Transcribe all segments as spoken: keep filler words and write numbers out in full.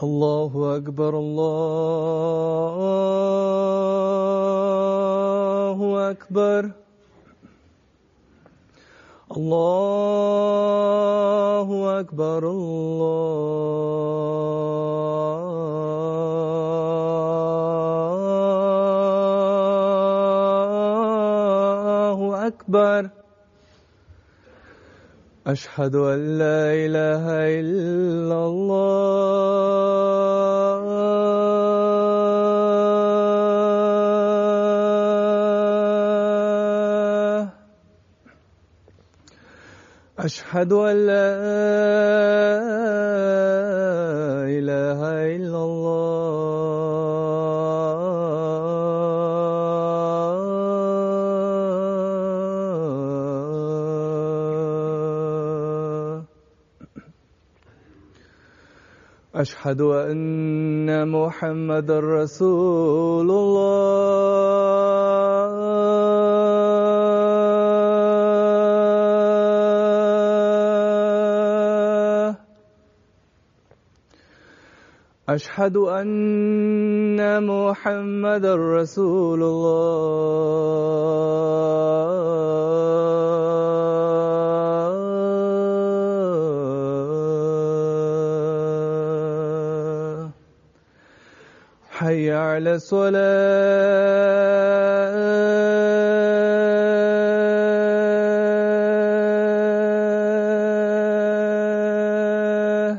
الله أكبر الله أكبر الله أكبر الله أكبر أشهد أن لا إله إلا الله أشهد أن لا إله إلا الله أشهد أن محمد رسول الله أشهد أن محمد رسول الله حي على الصلاة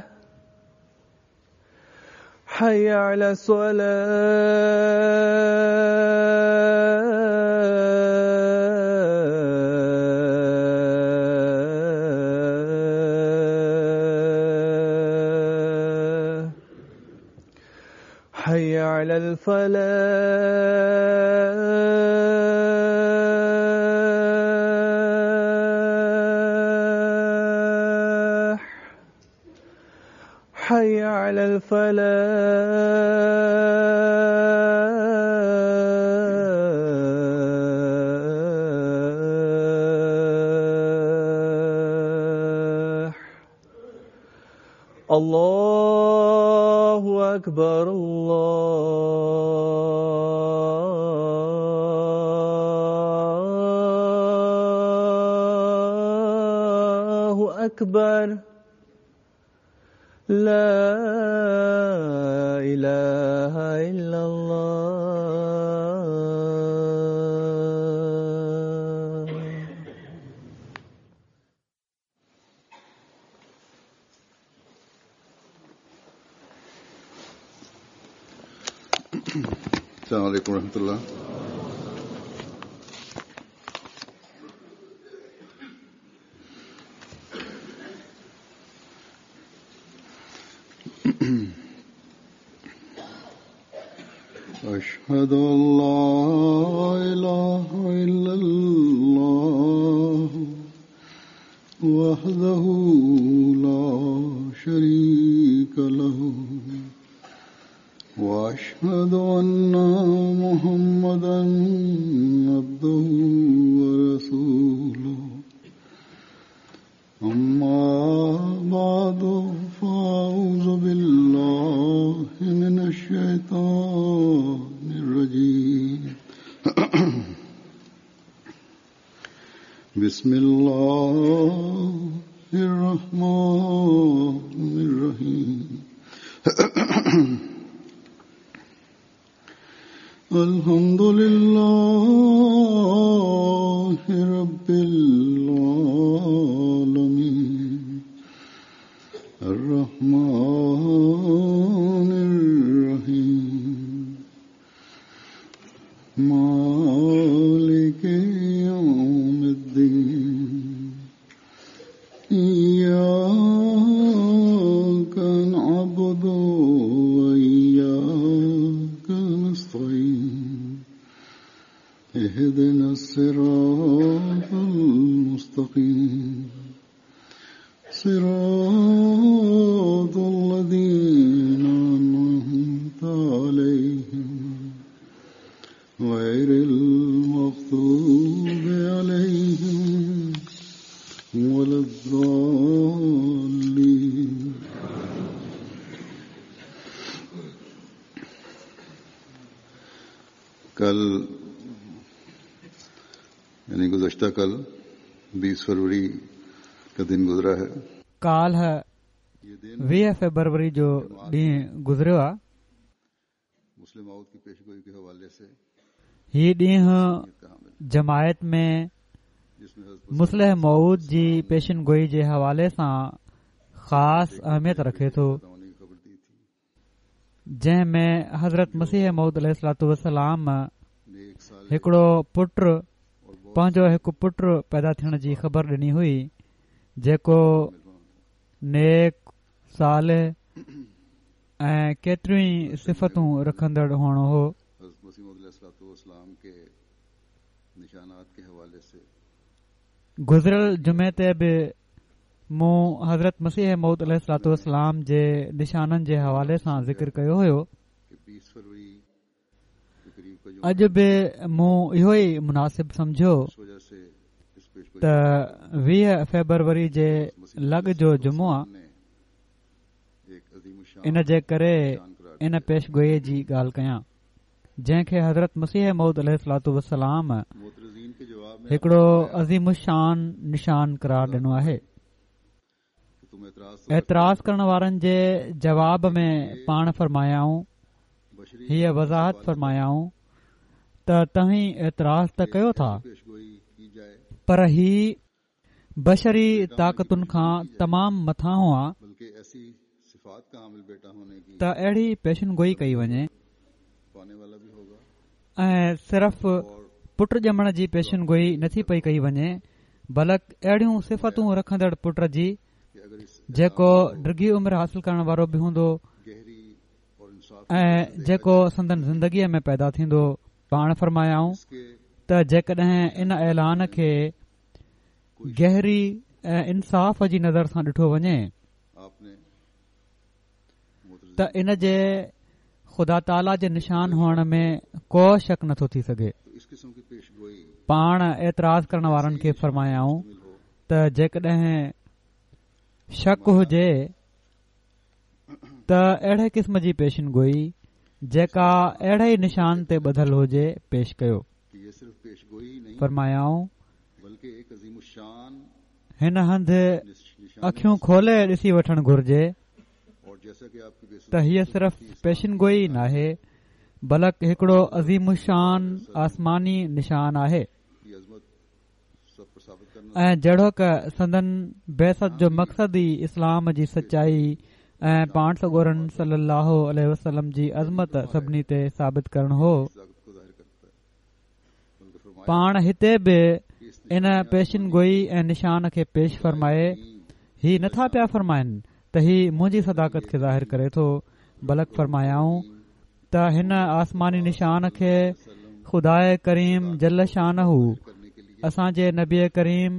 حي على الصلاة حي على الفلاح حي على الفلاح الله أكبر الله أكبر لا إله إلا الله السلام عليكم ورحمة الله. أشهد أن لا إله إلا الله وحده لا شريك له وأشهد أن محمدا عبده ورسوله أما بعد فأعوذ بالله من الشيطان الرجيم بسم الله الرحمن الرحيم الحمد لله رب العالمين الرحمن الرحيم مالك يوم الدين إياك نعبد وإياك نستعين اهدنا الصراط المستقيم صراط الذين أنعمت عليهم غير المغضوب عليهم ولا الضالين. यानी गुज़श्ता कल बीस फरवरी का दिन गुजरा है। काल्ह वीह फेब्रुअरी जो ॾींहुं गुज़रियो आहे। मुस्लिम मौत की पेशगोई के हवाले से ही ॾींहुं जमायत में मुस्लिह मौऊद जी पेशन गोई जे हवाले सां ख़ासि अहमियत रखे थो, जंहिं में हज़रत मसीह मौऊद अलैहिस्सलातु वस्सलाम हिकिड़ो पुट पंहिंजो हिकु पुट पैदा थियण जी ख़बर ॾिनी हुई, जेको नेक, सालिह ऐं केतिरियूं ई सिफ़तूं रखंदड़ हुअणो हो। गुज़िरियल जुमे ते बि मूं हज़रत मसीह मौऊद अलैहिस्सलातु वस्सलाम जे निशाननि जे हवाले सां ज़िक्र कयो हुयो। अॼु बि मूं इहो ई मुनासिब सम्झियो त वीह फेब्रुअरी जे लॻ जो जुमो आहे, इन जे करे इन पेशगोई जी ॻाल्हि कयां जंहिंखे हज़रत मसीह मौऊद अलैहिस्सलातु वस्सलाम हिकिड़ो अज़ीम शान निशान करार ॾिनो आहे। एतिराज़ करण वारनि जे जवाब में पाण फरमायाऊं, हीअ वज़ाहत फरमायाऊं त तव्हीं एतिराज़ त कयो था, पर ही बशरी ताक़तुनि खां तमामु मथां आहे त अहिड़ी पेशन गोई कई वञे ऐं सिर्फ़ पुट ॼमण जी पेशन गोई नथी पई कई वञे, बल्कि अहिड़ियूं सिफ़तूं रखंदड़ पुट जी जेको डिघी उमिरि हासिल करण वारो बि हूंदो ऐं जेको संदन ज़िंदगीअ में पैदा थींदो। पाण फरमायाऊं त जेकॾहिं इन ऐलान खे गहरी ऐं इंसाफ़ जी नज़र सां ॾिठो वञे त इन जे ख़ुदा ताला जे निशान हुअण में को शक नथो थी सघे। पाण एतिराज़ करण वारनि खे फरमायाऊं त जेकॾहिं शक हुजे त अहिड़े क़िस्म जी पेशन गोई जेका अहिड़े ई निशान ते ॿधल हुजे पेश कयो। फरमायाऊं, हिन हंधि अखियूं खोले ॾिसी वठणु घुर्जे त हीअ सिर्फ़ पेशन गोई नाहे, बल्कि हिकिड़ो अज़ीम शान आसमानी निशान आहे ऐं जहिड़ोक संदन बेसत जो मक़सदु ई इस्लाम जी सचाई ऐं पाण सॻोरनि सल्लल्लाहु अलैहि वसल्लम जी अज़मत सभिनी ते साबित करणु हो। पाण हिते बि इन पेशन गोई ऐं निशान खे पेश फरमाए ही नथा पिया फरमाइनि त ही मुंहिंजी सदाकत खे ज़ाहिर करे थो, बल्कि फरमायाऊं त हिन आसमानी निशान खे ख़ुदाए करीम जल शानहू असांजे नबी करीम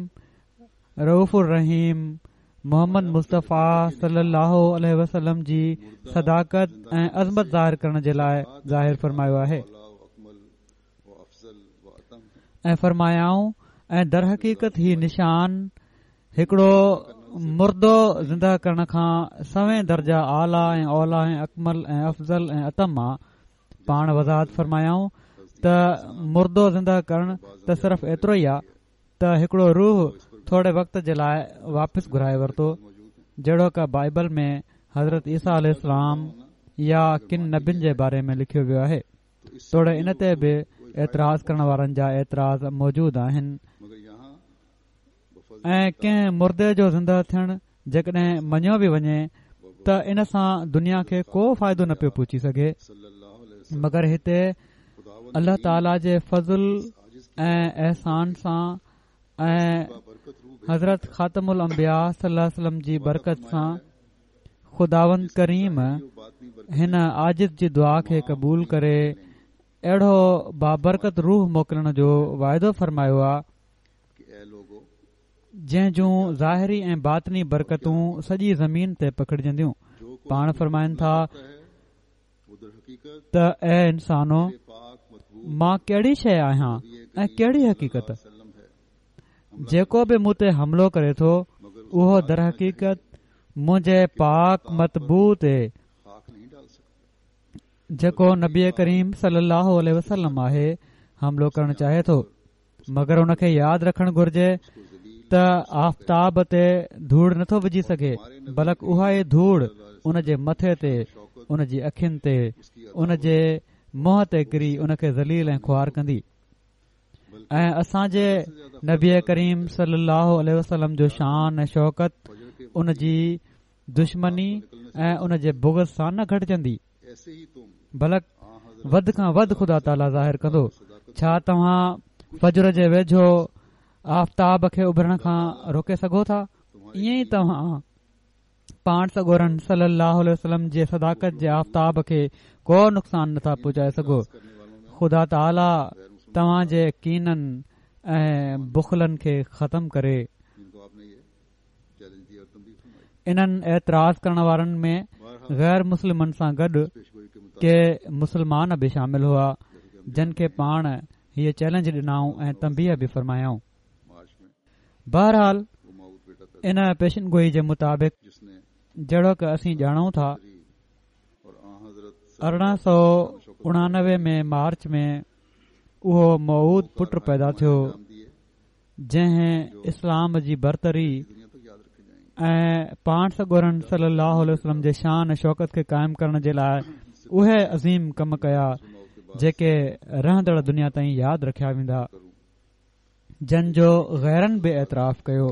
रऊफ़ुर रहीम मोहम्मद मुस्तफ़ा सल्लल्लाहु अलैहि वसल्लम जी सदाकत ऐं अज़मत ज़ाहिर करण जे लाइ ज़ाहिर फरमायो आहे। ऐं फरमायाऊं, ऐं दरहक़ीक़त ही निशान हिकिड़ो मुर्दो ज़िंदा करण खां सवें दर्जा आला ऐं औला ऐं अकमल ऐं अफ़ज़ल ऐं अतम आहे। पाण वज़ाहत फरमायाऊं त मुर्दो ज़िंदा करण त सिर्फ़ एतिरो ई आहे त हिकिड़ो रूह थोरे वक़्त जे लाइ वापसि घुराए वरितो, जहिड़ोक बाइबल में हज़रत ईसा अलैहिस्सलाम या किन नबियुनि जे बारे में लिखियो वियो आहे। तोड़े इन ते बि एतिराज़ करण वारनि जा एतिराज़ मौजूदु आहिनि ऐं कंहिं मुर्दे जो ज़िंदा थियणु जेकॾहिं मञियो बि वञे त इन सां दुनिया खे को फ़ाइदो न पियो पहुची सघे, मगर हिते अल्लाह ताला जे फ़ज़ल ऐं एहसान सां ऐं हज़रत ख़ातमुल अंबिया सल्लल्लाहु अलैहि वसल्लम जी बरकत सां ख़ुदावंद करीम हिन आजिज़ जी दुआ खे क़बूल करे अहिड़ो बाबरकत रूह मोकिलण जो वाइदो फरमायो आहे जंहिं जूं ज़ाहिरी ऐं बातिनी बरकतूं सॼी ज़मीन ते पखिड़जंदियूं। पाण फरमाइनि था त ऐ इंसानो, मां कहिड़ी शइ आहियां ऐं कहिड़ी हक़ीक़त, जेको बि मूं ते हमलो करे थो उहो दरहक़ीक़त मुंहिंजे पाक मतबू ते जेको नबी करीम सल्लल्लाहु अलैहि वसल्लम आहे हमलो करण चाहे थो। مگر ان کي ياد رکڻ گهرجي ته آفتاب تي ڌوڙ نٿو وجهي سگهي، بلڪ اها ئي ڌوڙ ان جي مٿي تي، ان جي اکين تي، ان جي منهن تي ڪري ان کي ذليل ۽ خوار ڪندي. ۽ اسان جي نبي ڪريم صلي الله عليه وسلم جو شان ۽ شوڪت ان جي دشمني ۽ ان جي بغض سان نه گهٽجندي، بلڪ وڌ کان وڌ خدا تعاليٰ ظاهر ڪندو. ڇا توهان فجر جي ويجهو آفتاب کي اڀرڻ کان روڪي سگهو ٿا؟ ائين ئي توهان پاڻ سڳورن صلي الله عليه وسلم جي صداقت جي آفتاب کي ڪو نقصان نٿا پهچائي سگهو. خدا تعاليٰ توهان جي ڪينن ۽ بخلن کي ختم ڪري. انهن اعتراض ڪرڻ وارن ۾ غير مسلمن سان گڏ ڪي مسلمان به شامل هئا، جن کي پاڻ هيء چئلينج ڏنائون ۽ تنبيهه به فرمايائون. بهرحال ان پيشن گوئي جي مطابق جهڙوڪ اسين ڄاڻون ٿا، ارڙهن سؤ اڻانوي ۾ مارچ ۾ اهو موعود پٽ پيدا ٿيو، جنهن اسلام جي برتري ۽ پاڻ سڳورن صلي الله عليه وسلم جي شان ۽ شوڪت کي قائم ڪرڻ جي لاء اهي عظيم ڪم ڪيا، جيڪي رهندڙ دنيا تائين ياد رکيا ويندا، جن جو غيرن به اعتراف ڪيو.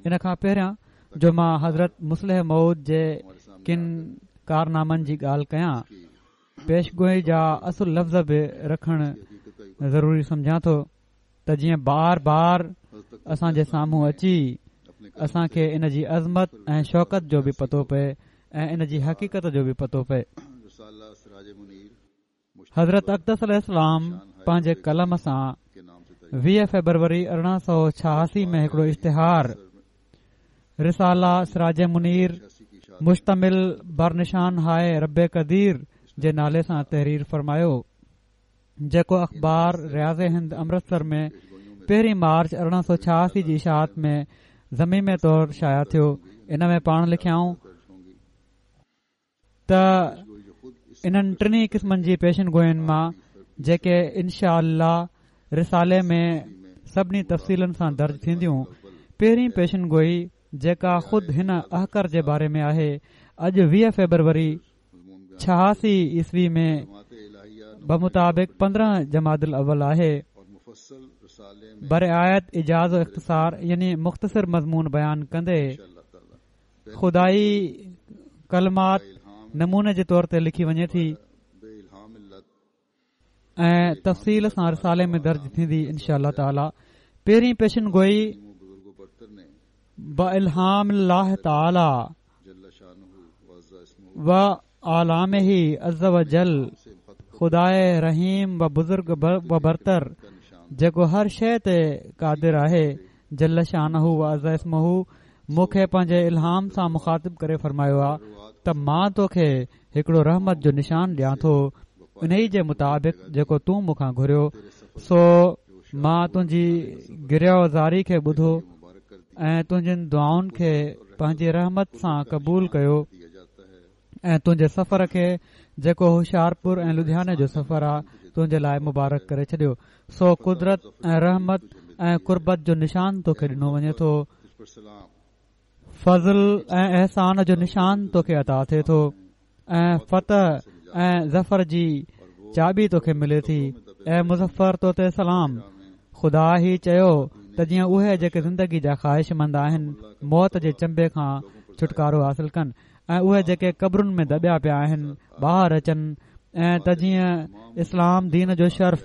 ان کان پهريان جو مان حضرت مصلح موعود جي ڪن ڪارنامن جي ڳالهه ڪيان، پيشگوئي جا اصل لفظ به رکڻ ضروري سمجهان ٿو ته جيئن بار بار اسان جي سامهون اچي اسان کي ان جي عظمت ۽ شوڪت جو به پتو پئي ۽ ان جي حقيقت جو به پتو پئي. حضرت اقدس عليه السلام پنهنجي قلم سان ويهه فيبروري ارڙهن سؤ ڇهاسي ۾ هڪڙو اشتهار رساله سراج منير مشتمل برنشان هاءِ رب قدير جي نالي سان تحرير فرمايو، جيڪو اخبار رياض هند امرتسر ۾ پهرين مارچ ارڙهن سؤ ڇهاسي جي اشاعت ۾ ضميمي طور شايع ٿيو. ان ۾ پاڻ لکيائون ته انهن ٽنهي قسمن جي پيشن گوئين مان جيڪي انشاء الله رسالي ۾ سڀني تفصيلن سان درج ٿينديون، پهرين پيشن گوئي جيڪا خود هن احقر جي باري ۾ آهي، اڄ ويهه فيبروري ڇهاسي عيسوي ۾ بمطابق پندرهن جمادي الاول آهي. برعايت ايجاز و اختصار يعني مختصر مضمون بيان ڪندي خدائي ڪلمات نموني جي طور تي لکي وڃي ٿي ۽ تفصيل سان رسالي ۾ درج ٿيندي انشاء الله تعاليٰ. پهرين پيشن گوئي بالهام الله تعاليٰ و اعلامه عز وجل خداءِ رحيم و بزرگ و برتر جيڪو هر شيءِ تي قادر آهي، جل شانه و عز اسمه، مون کي پنهنجي الهام سان مخاطب ڪري فرمايو آ ته مان توکي هڪڙو رحمت جو نشان ڏيان ٿو، انهي جي مطابق جيڪو تون مون کان گهريو، سو مان تنهنجي گريه و زاري کي ٻڌو ۽ تنهنجين دعائن کي پنهنجي رحمت سان قبول ڪيو ۽ تنهنجي سفر کي جيڪو هوشيارپور ۽ لڌياني جو سفر آ تنهنجي لاءِ مبارڪ ڪري ڇڏيو. سو قدرت ۽ رحمت ۽ قربت جو نشان توکي ڏنو وڃي ٿو، فضل ۽ احسان جو نشان توکي عطا ٿئي ٿو ۽ فتح ۽ ظفر جي چاٻي توکي ملي ٿي. اي مظفر تو تي سلام. خدا هي چيو ته جيئن اهي جيڪي زندگي جا خواهشمند آهن موت جي چنبي کان ڇوٽڪارو حاصل ڪن ۽ اهي جيڪي قبرن ۾ دٻيا پيا آهن ٻاهر اچن، ۽ ته جيئن اسلام دين جو شرف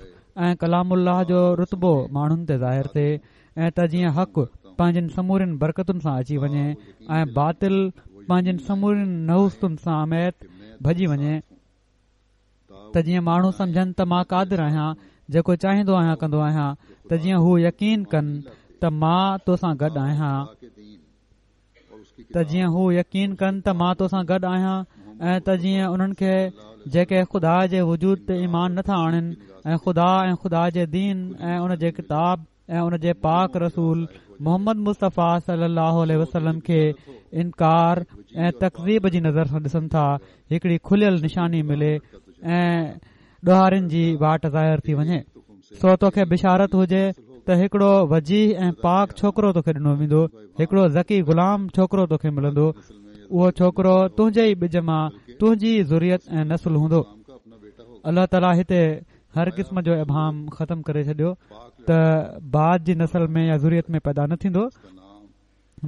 ۽ ڪلام الله جو رتبو ماڻهن تي ظاهر ٿئي، ۽ ته جيئن حق پنهنجن سمورين برڪتن سان اچي وڃي ۽ باطل پنهنجن سمورين نحوستن سميت ڀڄي وڃي، ته جيئن ماڻهو سمجهن ته مان قادر آهيان، جيڪو چاهيندو آهيان ڪندو آهيان، ته جيئن هو يقين ڪن ته مان تو سان گڏ آهيان، ته جيئن هو يقين ڪن ته مان تو سان گڏ آهيان، ۽ ته جيئن انهن کي جيڪي خدا جي وجود تي ايمان نٿا آڻين ۽ خدا ۽ خدا جي دين ۽ ان جي ڪتاب ۽ ان جي پاڪ رسول محمد مصطفيٰ صلي الله عليه وسلم کي انڪار ۽ تڪذيب جي نظر سان ڏسن ٿا، هڪڙي کليل نشاني ملي ۽ ڏوهارين جي واٽ ظاهر ٿي وڃي. سو توکي بشارت هجي ته هڪڙو وجيهه ۽ پاڪ ڇوڪرو توکي ڏنو ويندو، هڪڙو ذڪي غلام ڇوڪرو توکي ملندو. اهو ڇوڪرو تنهنجي ئي ٻج مان تنهنجي ئي ذريت ۽ نسل هوندو. الله تعاليٰ هتي هر قسم جو ابهام ختم ڪري ڇڏيو ته بعد جي نسل ۾ يا ذريت ۾ پيدا نه ٿيندو،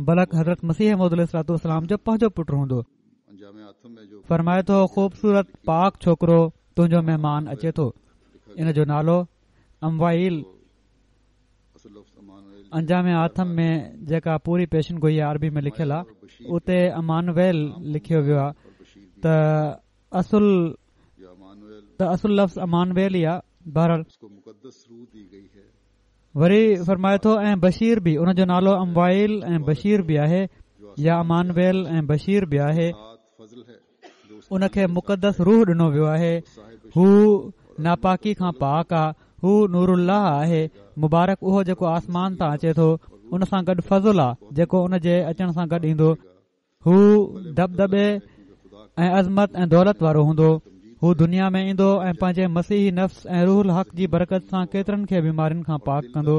بلڪ حضرت مسيح موعود عليه الصلوة والسلام جو پنهنجو پٽ هوندو. فرمائي ٿو خوبصورت پاڪ ڇوڪرو تنهنجو مهمان اچي ٿو، ان جو نالو اموائيل. انجام آٿم ۾ جيڪا پوري پيشن گوئي عربي ۾ لکيل آهي اتي امانويل لکيو ويو آهي ته اصل ته اصل لفظ امانويل ئي آهي. بهرحال وري فرمائي ٿو ۽ بشير به، ان جو نالو اموائيل ۽ بشير به آهي يا امانويل ۽ بشير به آهي. ان کي مقدس روح ڏنو ويو آهي، هو ناپاڪي کان پاڪ آ، هو نور الله آهي. مبارڪ اهو جيڪو آسمان تان اچي ٿو، ان سان گڏ فضل آ جيڪو ان جي اچڻ سان گڏ ايندو. هو دٻدٻي ۽ عظمت ۽ دولت وارو هوندو. هو دنيا ۾ ايندو ۽ پنهنجي مسيحي نفس ۽ روح الحق جي برڪت سان ڪيترن کي بيمارين کان پاڪ ڪندو.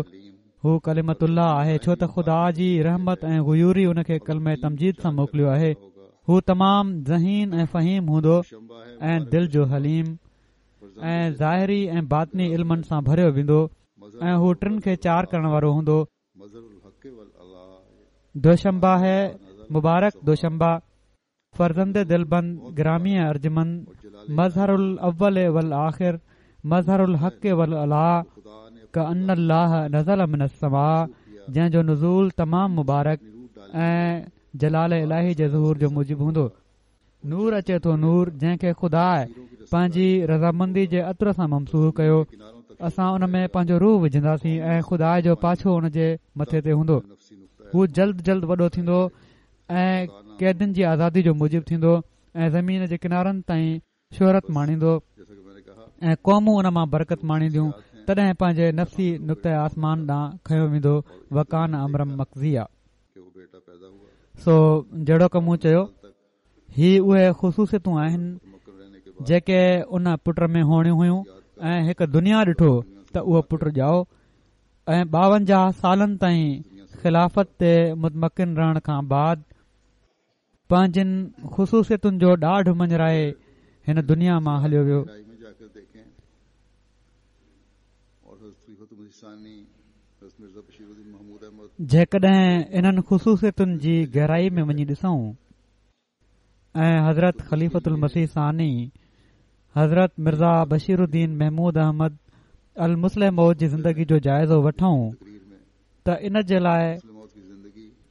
هو ڪلمة الله آهي، ڇو ته خدا جي رحمت ۽ غيوري ان کي ڪلمه تمجيد سان موڪليو آهي. هو تمام ذهين ۽ فهيم هوندو ۽ دل جو حليم ۽ ظاهري ۽ باطني علمن سان ڀريو ويندو ۽ هو ٽن کي چار ڪرڻ وارو هوندو. دوشنبه هي مبارڪ دوشنبه، فرزند دلبند گرامي ارجمند، مظهر الاول والآخر، مظهر الحق والعلاء، ڪأن الله نزل من السماء، جنهن جو نزول تمام مبارڪ ۽ جلال الاهي جي ظهور جو موجب هوندو. نور اچي ٿو نور، جنهن کي خدا پنهنجي رضامندي جي عطر سان ممسوح ڪيو. اسان ان ۾ پنهنجو روح وجهنداسين ۽ خدا جو پاڇو ان جي مٿي تي هوندو. هو جلد جلد وڏو ٿيندو ۽ قيدين جي آزادي جو موجب ٿيندو ۽ زمين جي ڪنارن تائين شهرت ماڻيندو ۽ قومون ان مان برڪت ماڻينديون. تڏهن پنهنجي نفسي نقطه آسمان ڏانهن کنيو ويندو. وڪان امرا مقضيا. سو جهڙوڪ مون چيو، هي اهي خصوصيتون آهن جيڪي ان پٽ ۾ هئڻيون هيون ۽ هڪ دنيا ڏٺو ته اهو پٽ ڄائو ۽ ٻاونجاهه سالن تائين خلافت تي متمڪن رهڻ کان بعد پنهنجن خصوصيتن جو ڏاڍ مڃرائي هن دنيا مان هليو ويو. جيڪڏهن انهن خصوصيتن جي گهرائي ۾ وڃي ڏسون ۽ حضرت خليفة المسيح ثاني حضرت مرزا بشير الدين محمود احمد المصلح موعود جي زندگي جو جائزو وٺون ته ان جي لاءِ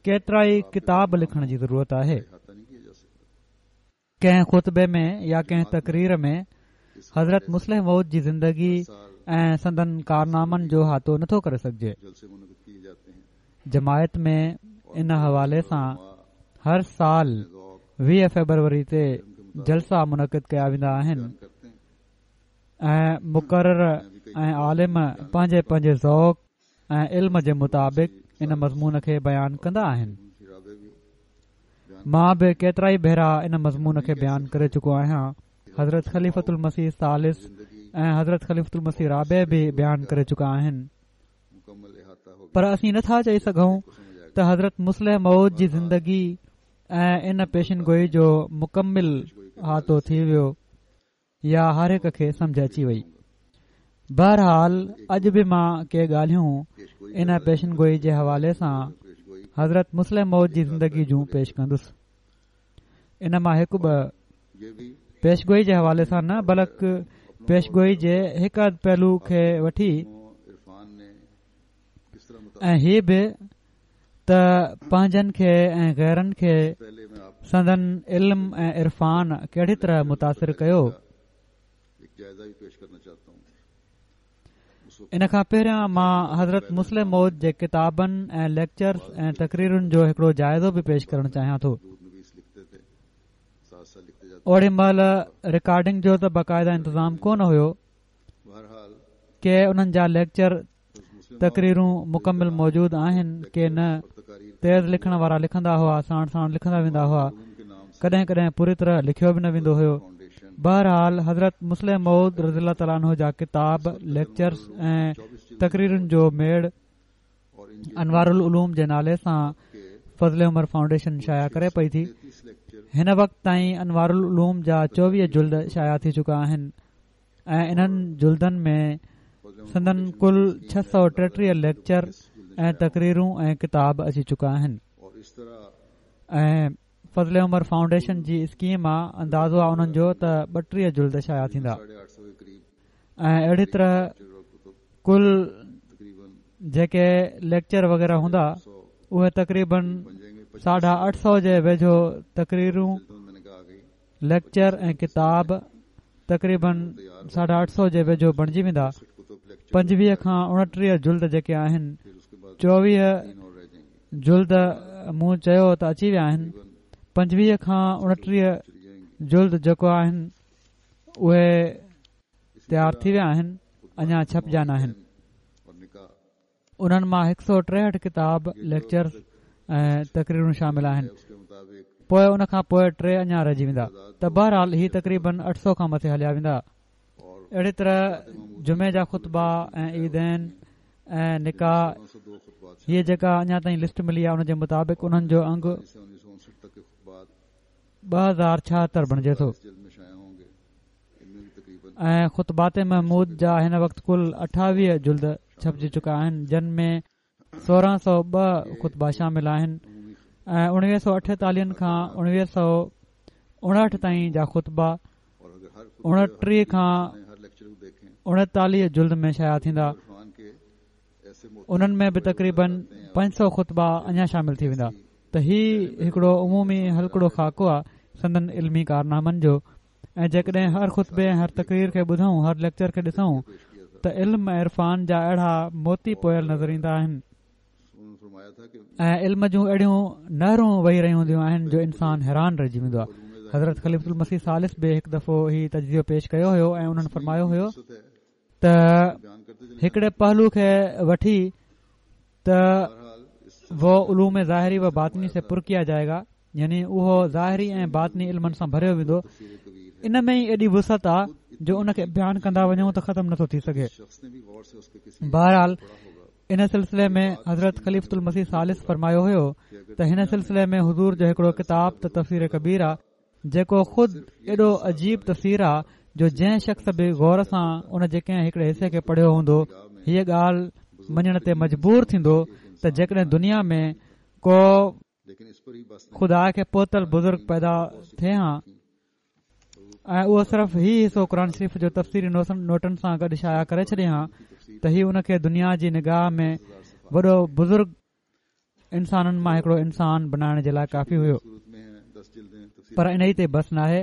ڪيترائي ڪتاب لکڻ جي ضرورت آهي. ڪنهن خطبي ۾ يا ڪنهن تقرير ۾ حضرت مصلح موعود جي زندگي ۽ سندن ڪارنامن جو احاطو نٿو ڪري سگهجي. جماعت ۾ ان حوالي سان هر سال ويهه فيبروري تي جلسا منعقد ڪيا ويندا آهن ۽ مقرر ۽ عالم پنهنجي پنهنجي ذوق ۽ علم جي مطابق ان مضمون کي بيان ڪندا آهن. مان به ڪيترائي ڀيرا ان مضمون کي بيان ڪري چڪو آهيان. حضرت خليفة المسيح ثالث ۽ حضرت خليفة المسيح رابع به بيان ڪري چڪا آهن، پر اسين نٿا چئي سگهون ته حضرت مصلح موعود جي زندگي ۽ ان پيشن گوئي جو مڪمل احاطو ٿي ويو يا هر هڪ کي سمجهه اچي وئي. بهرحال اڄ به مان ڪي ڳالهيون ان پيشن گوئي جي حوالي سان حضرت مصلح موعود جي زندگي جون پيش ڪندس. ان مان هڪ ٻه پيشگوئي جي حوالي سان نه بلڪ پيشگوئي جي هڪ اڌ پهلو کي وٺي ۽ هي به ته پنهنجن کي ۽ غيرن کي سندن علم ۽ عرفان ڪهڙي طرح متاثر ڪيو. ان کان پهريان مان حضرت مصلح موعود جي ڪتابن ۽ ليڪچرز ۽ تقريرن جو هڪڙو جائزو به پيش ڪرڻ چاهيان ٿو. اوڙي مهل رڪارڊنگ جو ته باقاعده انتظام ڪونه هيو. ڪي انهن جا ليڪچر تقريرون مڪمل موجود آهن ڪي نه. تيز لکڻ وارا لکندا هئا، ساڻ ساڻ لکندا ويندا هئا. ڪڏهن ڪڏهن پوري طرح لکيو به نه ويندو هيو. بهرحال حضرت مصلح موعود رضي الله تعاليٰ عنه جا ڪتاب، ليڪچرز ۽ تقريرن جو ميڙ انوار العلوم جي نالي سان فضل عمر فائونڊيشن شايع ڪري پئي ٿي. هن وقت تائين انوار العلوم جا چوويهه جلد شايع ٿي چڪا آهن ۽ انهن جلدن ۾ سندن ڪل ڇهه سؤ ٽيٽيهه ليڪچر ۽ تقريرون ۽ ڪتاب اچي چڪا آهن. ۽ فضل عمر فائونڊيشن جي اسڪيم آ، اندازو آ انهن جو ته ٻٽيهه جلد شايع ٿيندا. ۽ اهڙي طرح ڪل جيڪي ليڪچر وغيره هوندا اهي تقريبن ساڍا اٺ سؤ جي ويجهو تقريرون، ليڪچر ۽ ڪتاب تقريبن ساڍا اٺ سؤ جي ويجهو بڻجي ويندا. پنجويهه کان اڻٽيهه جلد جيڪي آهن، چوويهه جلد مون چيو ته اچي ويا آهن، پنجويهه کان اڻٽيهه جلد جيڪو آهن اهي تيار ٿي ويا آهن، اڃا ڇپجا ناهن. انهن مان هڪ سؤ ٽيهٺ ڪتاب، ليڪچرز ۽ تقريرون شامل آهن. پوءِ ان کان پوءِ ٽي اڃا رهجي ويندا ته بهرحال هي تقريبن اٺ سؤ کان مٿي هليا ويندا. اهڙي طرح جمعي جا خطبا ۽ عيدين ۽ نڪاح، هيءَ جيڪا اڃا تائين لسٽ ملي آهي ان جي مطابق انهن جو انگ ٻه هزار ڇاهتر بڻجي ٿو. ۽ خطبات محمود جا هن وقت ڪل اٺاويهه جلد ڇپجي چڪا آهن، جن ۾ سورهن سؤ ٻه خطبا شامل آهن ۽ اڻويهه سؤ اٺيتاليهن کان اڻويهه سؤ اڻهٺ تائين جا خطبا اڻٽيهه کان اڻيتاليهه جلد ۾ شايع ٿيندا. انهن ۾ به تقريبن پنج سؤ خطبا اڃا شامل ٿي ويندا. ته هي هڪڙو عمومي هلڪڙو خاڪو آهي سندن علمي ڪارنامن جو. ۽ جيڪڏهن هر خطبي ۽ هر تقرير کي ٻڌون، هر ليڪچر کي ڏسون ته علم ۽ عرفان جا اهڙا موتي پويل نظر ايندا آهن ۽ علم جون اهڙيون نهرون وهي رهيون هونديون آهن جو انسان حيران رهجي ويندو آهي. حضرت خليفة المسيح ثالث به هڪ دفعو هي تجزيو پيش ڪيو هيو ۽ انهن فرمايو هيو ته هڪڙي پهلو کي وٺي ته वो علوم ظاهري و باطني سي پر ڪيا جائي گا، يعني اهو ظاهري ۽ باطني علمن سان ڀريو ويندو. ان ۾ ئي ايڏي وسعت آ جو ان کي بيان ڪندا وڃون ته ختم نٿو ٿي سگهي. بهرحال ان سلسلي ۾ حضرت خليفة المسيح ثالث فرمايو هيو ته هن سلسلي ۾ حضور جو هڪڙو ڪتاب ته تفسير ڪبير آ، جيڪو خود ايڏو عجيب تفسير آ جو جنهن شخص به غور سان ان جي ڪنهن هڪڙي حصي کي پڙهيو هوندو هيءَ ڳالهه مڃڻ تي مجبور ٿيندو ته جيڪڏهن دنيا ۾ ڪو خدا کي پهتل بزرگ پيدا ٿئي ها ۽ اهو صرف هي حصو قرآن شريف جو تفسيري نوٽن سان گڏ شايع ڪري ڇڏي ها ته هي ان کي دنيا جي نگاهه ۾ وڏو بزرگ انسانن مان هڪڙو انسان بنائڻ جي لاءِ ڪافي هيو. پر ان ئي تي بس ناهي،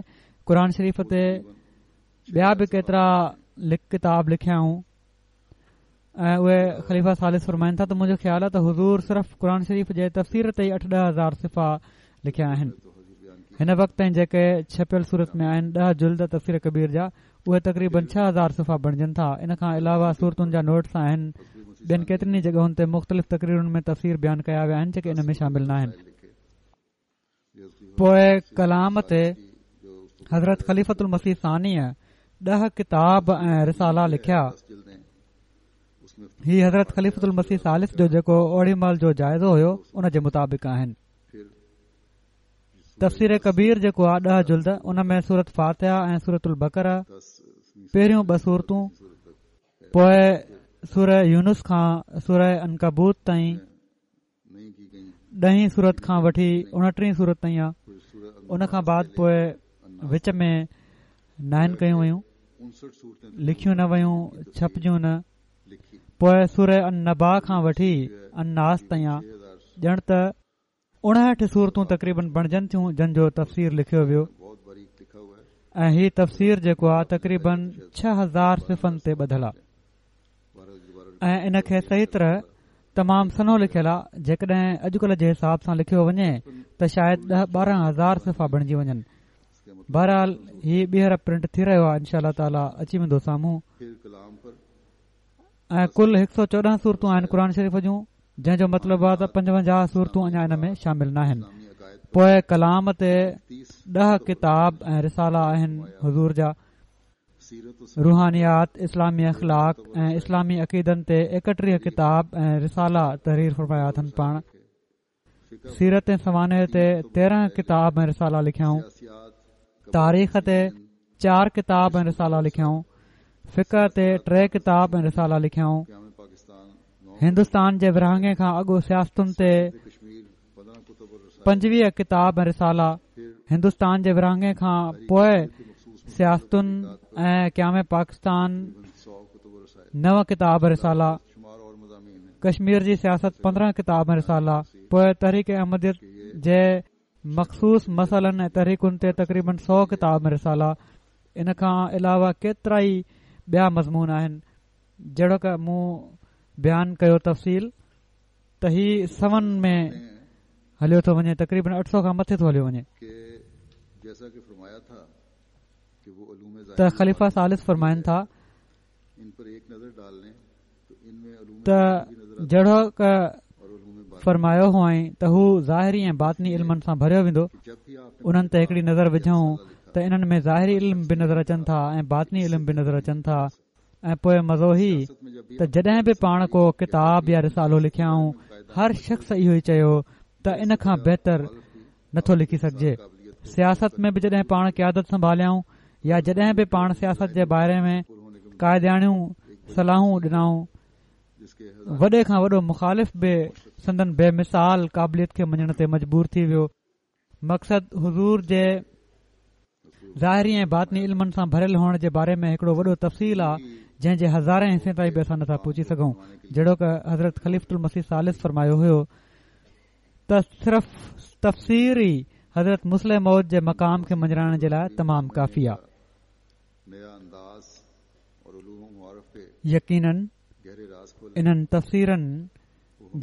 قرآن شريف تي ٻيا به ڪيترا ڪتاب لکيائون ۽ اهي خليفه ثالث فرمائن ٿا ته منهنجو خيال آهي ته حضور صرف قرآن شريف جي تفسير تي ئي اٺ ڏهه هزار صفحا لکيا آهن. هن وقت تائين جيڪي ڇپيل صورت ۾ آهن ڏهه جلد تفسير ڪبير جا، اهي تقريبن ڇهه هزار صفحا بڻجن ٿا. ان کان علاوه سورتن جا نوٽس آهن. ٻين ڪيترين ئي جڳهن تي مختلف تقريرن ۾ تفسير بيان ڪيا ويا آهن جيڪي ان ۾ شامل نه آهن. پوءِ ڪلام تي حضرت خليفة المسيح ثانيءَ ڏهه ڪتاب ۽ رسالا لکيا. هي حضرت خليفة المسيح ثالث جو جيڪو اوڙي مهل جو جائزو هيو ان جي مطابق آهن. تفسير ڪبير جيڪو آهي ڏهه جلد، ان ۾ سورت فاتحه ۽ سورت البقره پهريون ٻه سورتون، پوءِ سوره يونس کان سوره عنڪبوت تائين، ڏهين سورت کان وٺي اڻٽيهين سورت تائين آهي. ان کان بعد پوءِ وچ ۾ ناهن ڪيون ويون، لکيون نه ويون، ڇپجيون نه. پوءِ سوره النبا کان وٺي الناس تائين آهي. ڄڻ ته اڻهٺ سورتون تقريبن بڻجن ٿيون جن جو تفسير لکيو ويو ۽ هي تفسير جيڪو آهي تقريبن ڇهه هزار صفحن تي ٻڌل آهي ۽ ان کي صحيح طرح تمام سنهو لکيل آهي. جيڪڏهن اڄڪلهه جي حساب سان لکيو وڃي ته شايد ڏهه ٻارهن هزار صفحا بڻجي وڃن. بهرحال هي ٻيهر پرنٽ ٿي رهيو آهي، انشاء الله تعاليٰ اچي ويندو سامهون. ۽ ڪل هڪ سؤ چوڏهن سورتون آهن قرآن شريف جون، جنهن جو مطلب آهي ته پنجونجاهه سورتون اڃا ان ۾ شامل ناهن. پوءِ ڪلام تي ڏهه ڪتاب ۽ رسالا آهن حضور جا. روحانيات، اسلامي اخلاق ۽ اسلامي عقيدن تي ايڪٽيهه ڪتاب ۽ رسالا تحرير فرمايا اٿن پاڻ. سيرت ۽ سوانح تي تيرهن ڪتاب ۽ رسالا لکيائون. تاريخ تي چار ڪتاب ۽ رسالا لکيائون. فقه تي ٽي ڪتاب ۽ رسالا لکيائون. هندستان جي ورهاڱي کان اڳ سياستن تي پنجويهه ڪتاب ۽ رسالا، هندستان جي ورهاڱي کان پوءِ سياستن ۽ قيام پاڪستان نو ڪتاب رسالا، ڪشمير جي سياست پندرهن ڪتاب ۽ رسالا، پوءِ تحريڪ احمديت جي مخصوص مسئلن ۽ تحريڪن تي تقريبن سؤ ڪتاب ۽ رسالا. ان کان علاوه ڪيترا ئي ٻيا مضمون آهن. جهڙوڪ مون بيان ڪيو تفصيل ته هي سون ۾ هليو ٿو وڃي، تقريبن اٺ سؤ کان مٿي ٿو هليو وڃي. ته خليفه ثالث فرمائن ٿا ته جهڙوڪ فرمايو هئائين ته هو ظاهري ۽ باطني علمن سان ڀريو ويندو. انهن تي هڪڙي نظر وجهون ته انهن ۾ ظاهري علم به نظر اچن ٿا ۽ باطني علم به نظر اچن ٿا. ۽ پوءِ مزو هي ته جڏهن به پاڻ ڪو ڪتاب يا رسالو لکيائون، هر شخص اهو ئي چيو ته ان کان بهتر نٿو لکي سگهجي. سياست ۾ به جڏهن پاڻ قيادت سنڀاليائون يا جڏهن به پاڻ سياست جي باري ۾ قائداڻيون صلاحون ڏنائون، وڏي کان وڏو مخالف به سندن بي مثال قابليت کي مڃڻ تي مجبور ٿي ويو. مقصد حضور جي ظاهري ۽ باطني علمن سان ڀريل هئڻ جي باري ۾ هڪڙو وڏو تفصيل آهي، جنهن جي هزارين حصي تائين به اسان نٿا پهچي سگهون. جهڙوڪ حضرت خليفة المسيح ثالث فرمايو هيو ته صرف تفسير ئي حضرت مصلح موعود جي مقام کي مڃرائڻ جي لاءِ تمام ڪافي آهي. يقينن انهن تفسيرن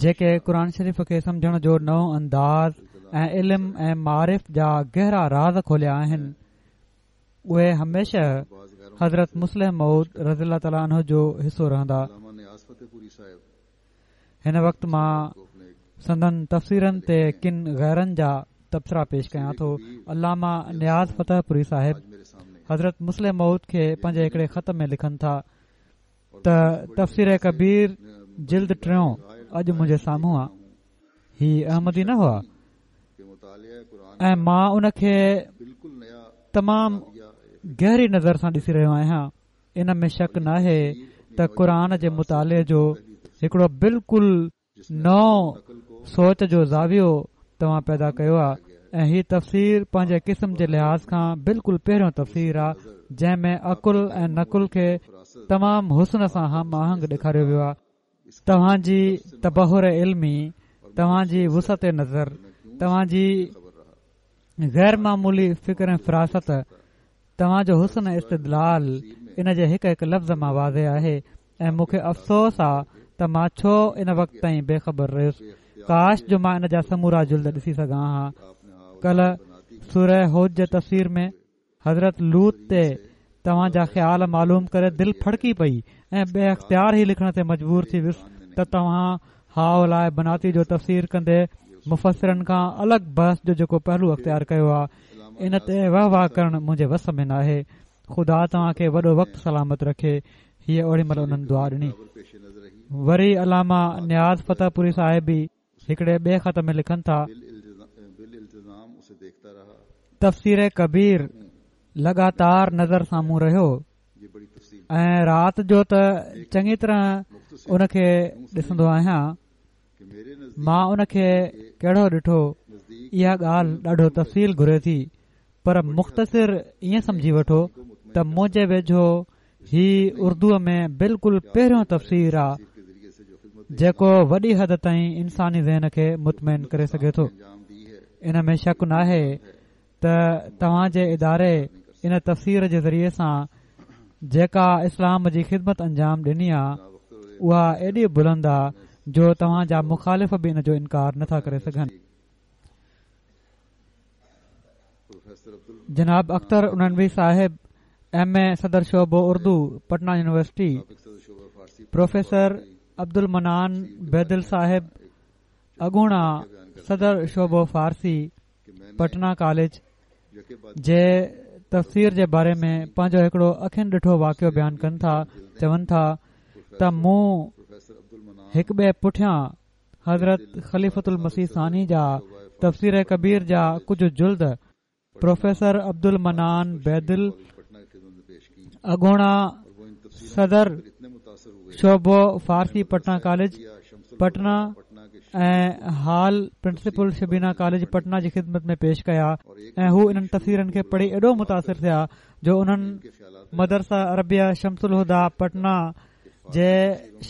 جيڪي قرآن شريف کي سمجهڻ جو نئون انداز ۽ علم ۽ معارف جا گهرا راز کوليا آهن، اهي هميشه حضرت مصلح موعود رضي الله تعاليٰ عنه جو حصو رهندا. هن وقت مان سندن تفسيرن تي ڪن غيرن جا تبصرا پيش ڪيان ٿو. علامه نياز فتح پوري صاحب حضرت مصلح موعود کي پنهنجي هڪڙي خط ۾ لکن ٿا ته تفسير ڪبير جلد ٽيون اڄ منهنجي سامهون آ. هي احمدي نه هئا ۽ مان ان کي تمام گهري نظر سان ڏسي رهيو آهيان. ان ۾ شڪ ناهي ته قرآن جي مطالعي جو هڪڙو بلڪل نئون سوچ جو زاويو توهان پيدا ڪيو آهي ۽ هي تفسير پنهنجي قسم جي لحاظ کان بلڪل پهريون تفسير آهي، جنهن ۾ عقل ۽ نقل کي تمام حسن سان هم آهنگ ڏيکاريو ويو آهي. توهان جي تبحر علمي، توهان جي وسعت نظر، توهان جي غير معمولي فڪر ۽ فراست، توهان جو حسن استدلال ان جي هڪ هڪ لفظ مان واضح آهي. ۽ مون کي افسوس آ ته مان ڇو ان وقت تائين بي خبر رهيس. ڪاش جو مان ان جا سمورا جلد ڏسي سگهان ها. ڪلهه سوره هود جي تفسير ۾ حضرت لوط تي توهان جا خيال معلوم ڪري دل ڦڙڪي پئي ۽ بي اختيار ئي لکڻ تي مجبور ٿي ويس ته توهان هؤلاء بناتي جو تفسير ڪندي مفسرن کان الڳ بحث جو جيڪو پهلو اختيار ڪيو آهي، ان تي واهه واهه ڪرڻ منهنجي وس ۾ ناهي. خدا توهان کي وڏو وقت سلامت رکي. هيءَ اوڙي مهل انهن دعا ڏني. وري علامه نياز فتح پوري صاحب به هڪڙي ٻئي خط ۾ لکن ٿا، تفسير ڪبير لڳاتار نظر سامهون رهيو ۽ رات جو ته چڱي طرح ان کي ڏسندو آهيان. مان ان کي ڪهڙو ڏٺو، اها ڳالهه ڏاڍو تفصيل گهري ٿي، پر مختصر ائين سمجهي وٺو ته منهنجي ويجهو هي اردوءَ ۾ بلڪل پهريون تفسير آ جيڪو وڏي حد تائين انساني ذهن کي مطمئن ڪري سگهي ٿو. ان ۾ شڪ ناهي ته توهان جي اداري ان تفسير جي ذريعي سان جيڪا اسلام جي خدمت انجام ڏني آ، اها ايڏي بلند آ جو توهان جا مخالف به ان جو انڪار نٿا ڪري سگهن. جناب اختر اڻانوي صاحب، ايم اي صدر شعبو اردو، پٽنا يونيورسٽي، پروفيسر عبدالمنان بيدل صاحب، اڳوڻا صدر شعبو فارسي، پٽنا ڪاليج جي تفسير جي باري ۾ پنهنجو هڪڙو اکين ڏٺو واقعو بيان ڪن ٿا. چون ٿا ته مون هڪ ٻئي پٺيان حضرت خليفة المسيح ثاني جا تفسير ڪبير جا ڪجهه جلد پروفيسر عبدالمنان بيدل، اڳوڻا صدر شعبو فارسي پٽنا ڪاليج پٽنا ۽ حال پرنسپل شبينا ڪاليج پٽنا جي خدمت ۾ پيش ڪيا ۽ هو انهن تفسيرن کي پڙهي ايڏو متاثر ٿيا جو انهن مدرسه عربيه شمس الهديٰ پٽنا جي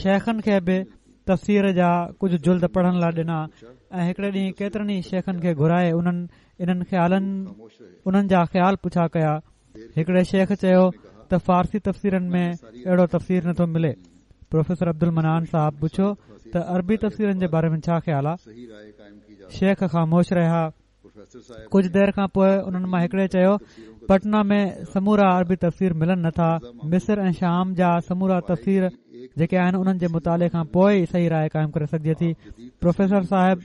شيخن کي به تفسير جا ڪجهه جلد پڙهڻ لاء ڏنا ۽ هڪڙي ڏينهن ڪيترن ئي شيخن کي گهرائي انهن انهن خيالن انهن جا خيال پڇا ڪيا. هڪڙي شيخ چيو ته فارسي تفسيرن ۾ اهڙو تفسير نٿو ملي. پروفيسر عبدالمنان صاحب پڇيو ته عربي تفسيرن جي باري ۾ ڇا خيال آهي؟ شيخ خاموش رهيا. ڪجهه دير کان پوءِ انهن مان هڪڙي چيو پٽنا ۾ سمورا عربي تفسير ملن نٿا. مصر ۽ شام جا سمورا تفسير جيڪي آهن انهن جي مطالعي کان پوءِ ئي صحيح راءِ قائم ڪري سگهجي ٿي. پروفيسر صاحب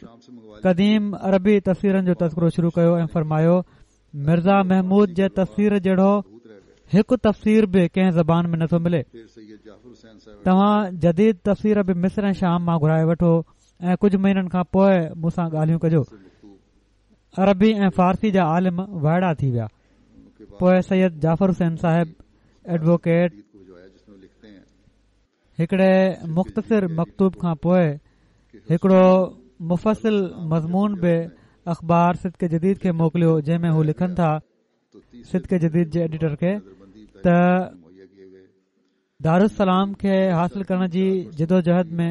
قديم عربي تفسيرن جو تذڪرو شروع ڪيو ۽ فرمايو مرزا محمود جي تفسير جهڙو هڪ تفسير به ڪنهن زبان ۾ نٿو ملي. توهان جديد تفسير به مصر ۽ شام مان گهرائي وٺو ۽ ڪجهه مهينن کان پوءِ مون سان ڳالهيون ڪجو. عربي ۽ فارسي جا عالم وائڙا ٿي ويا. پوءِ سيد جعفر حسين صاحب ايڊووڪيٽ هڪڙي مختصر مڪتوب کان پوءِ هڪڙو مفصل مضمون به اخبار صدق جديد کي موڪليو، جنهن ۾ هو لکن ٿا صدق جديد جي ايڊيٽر کي ته دارالسلام کي حاصل ڪرڻ جي جدوجهد ۾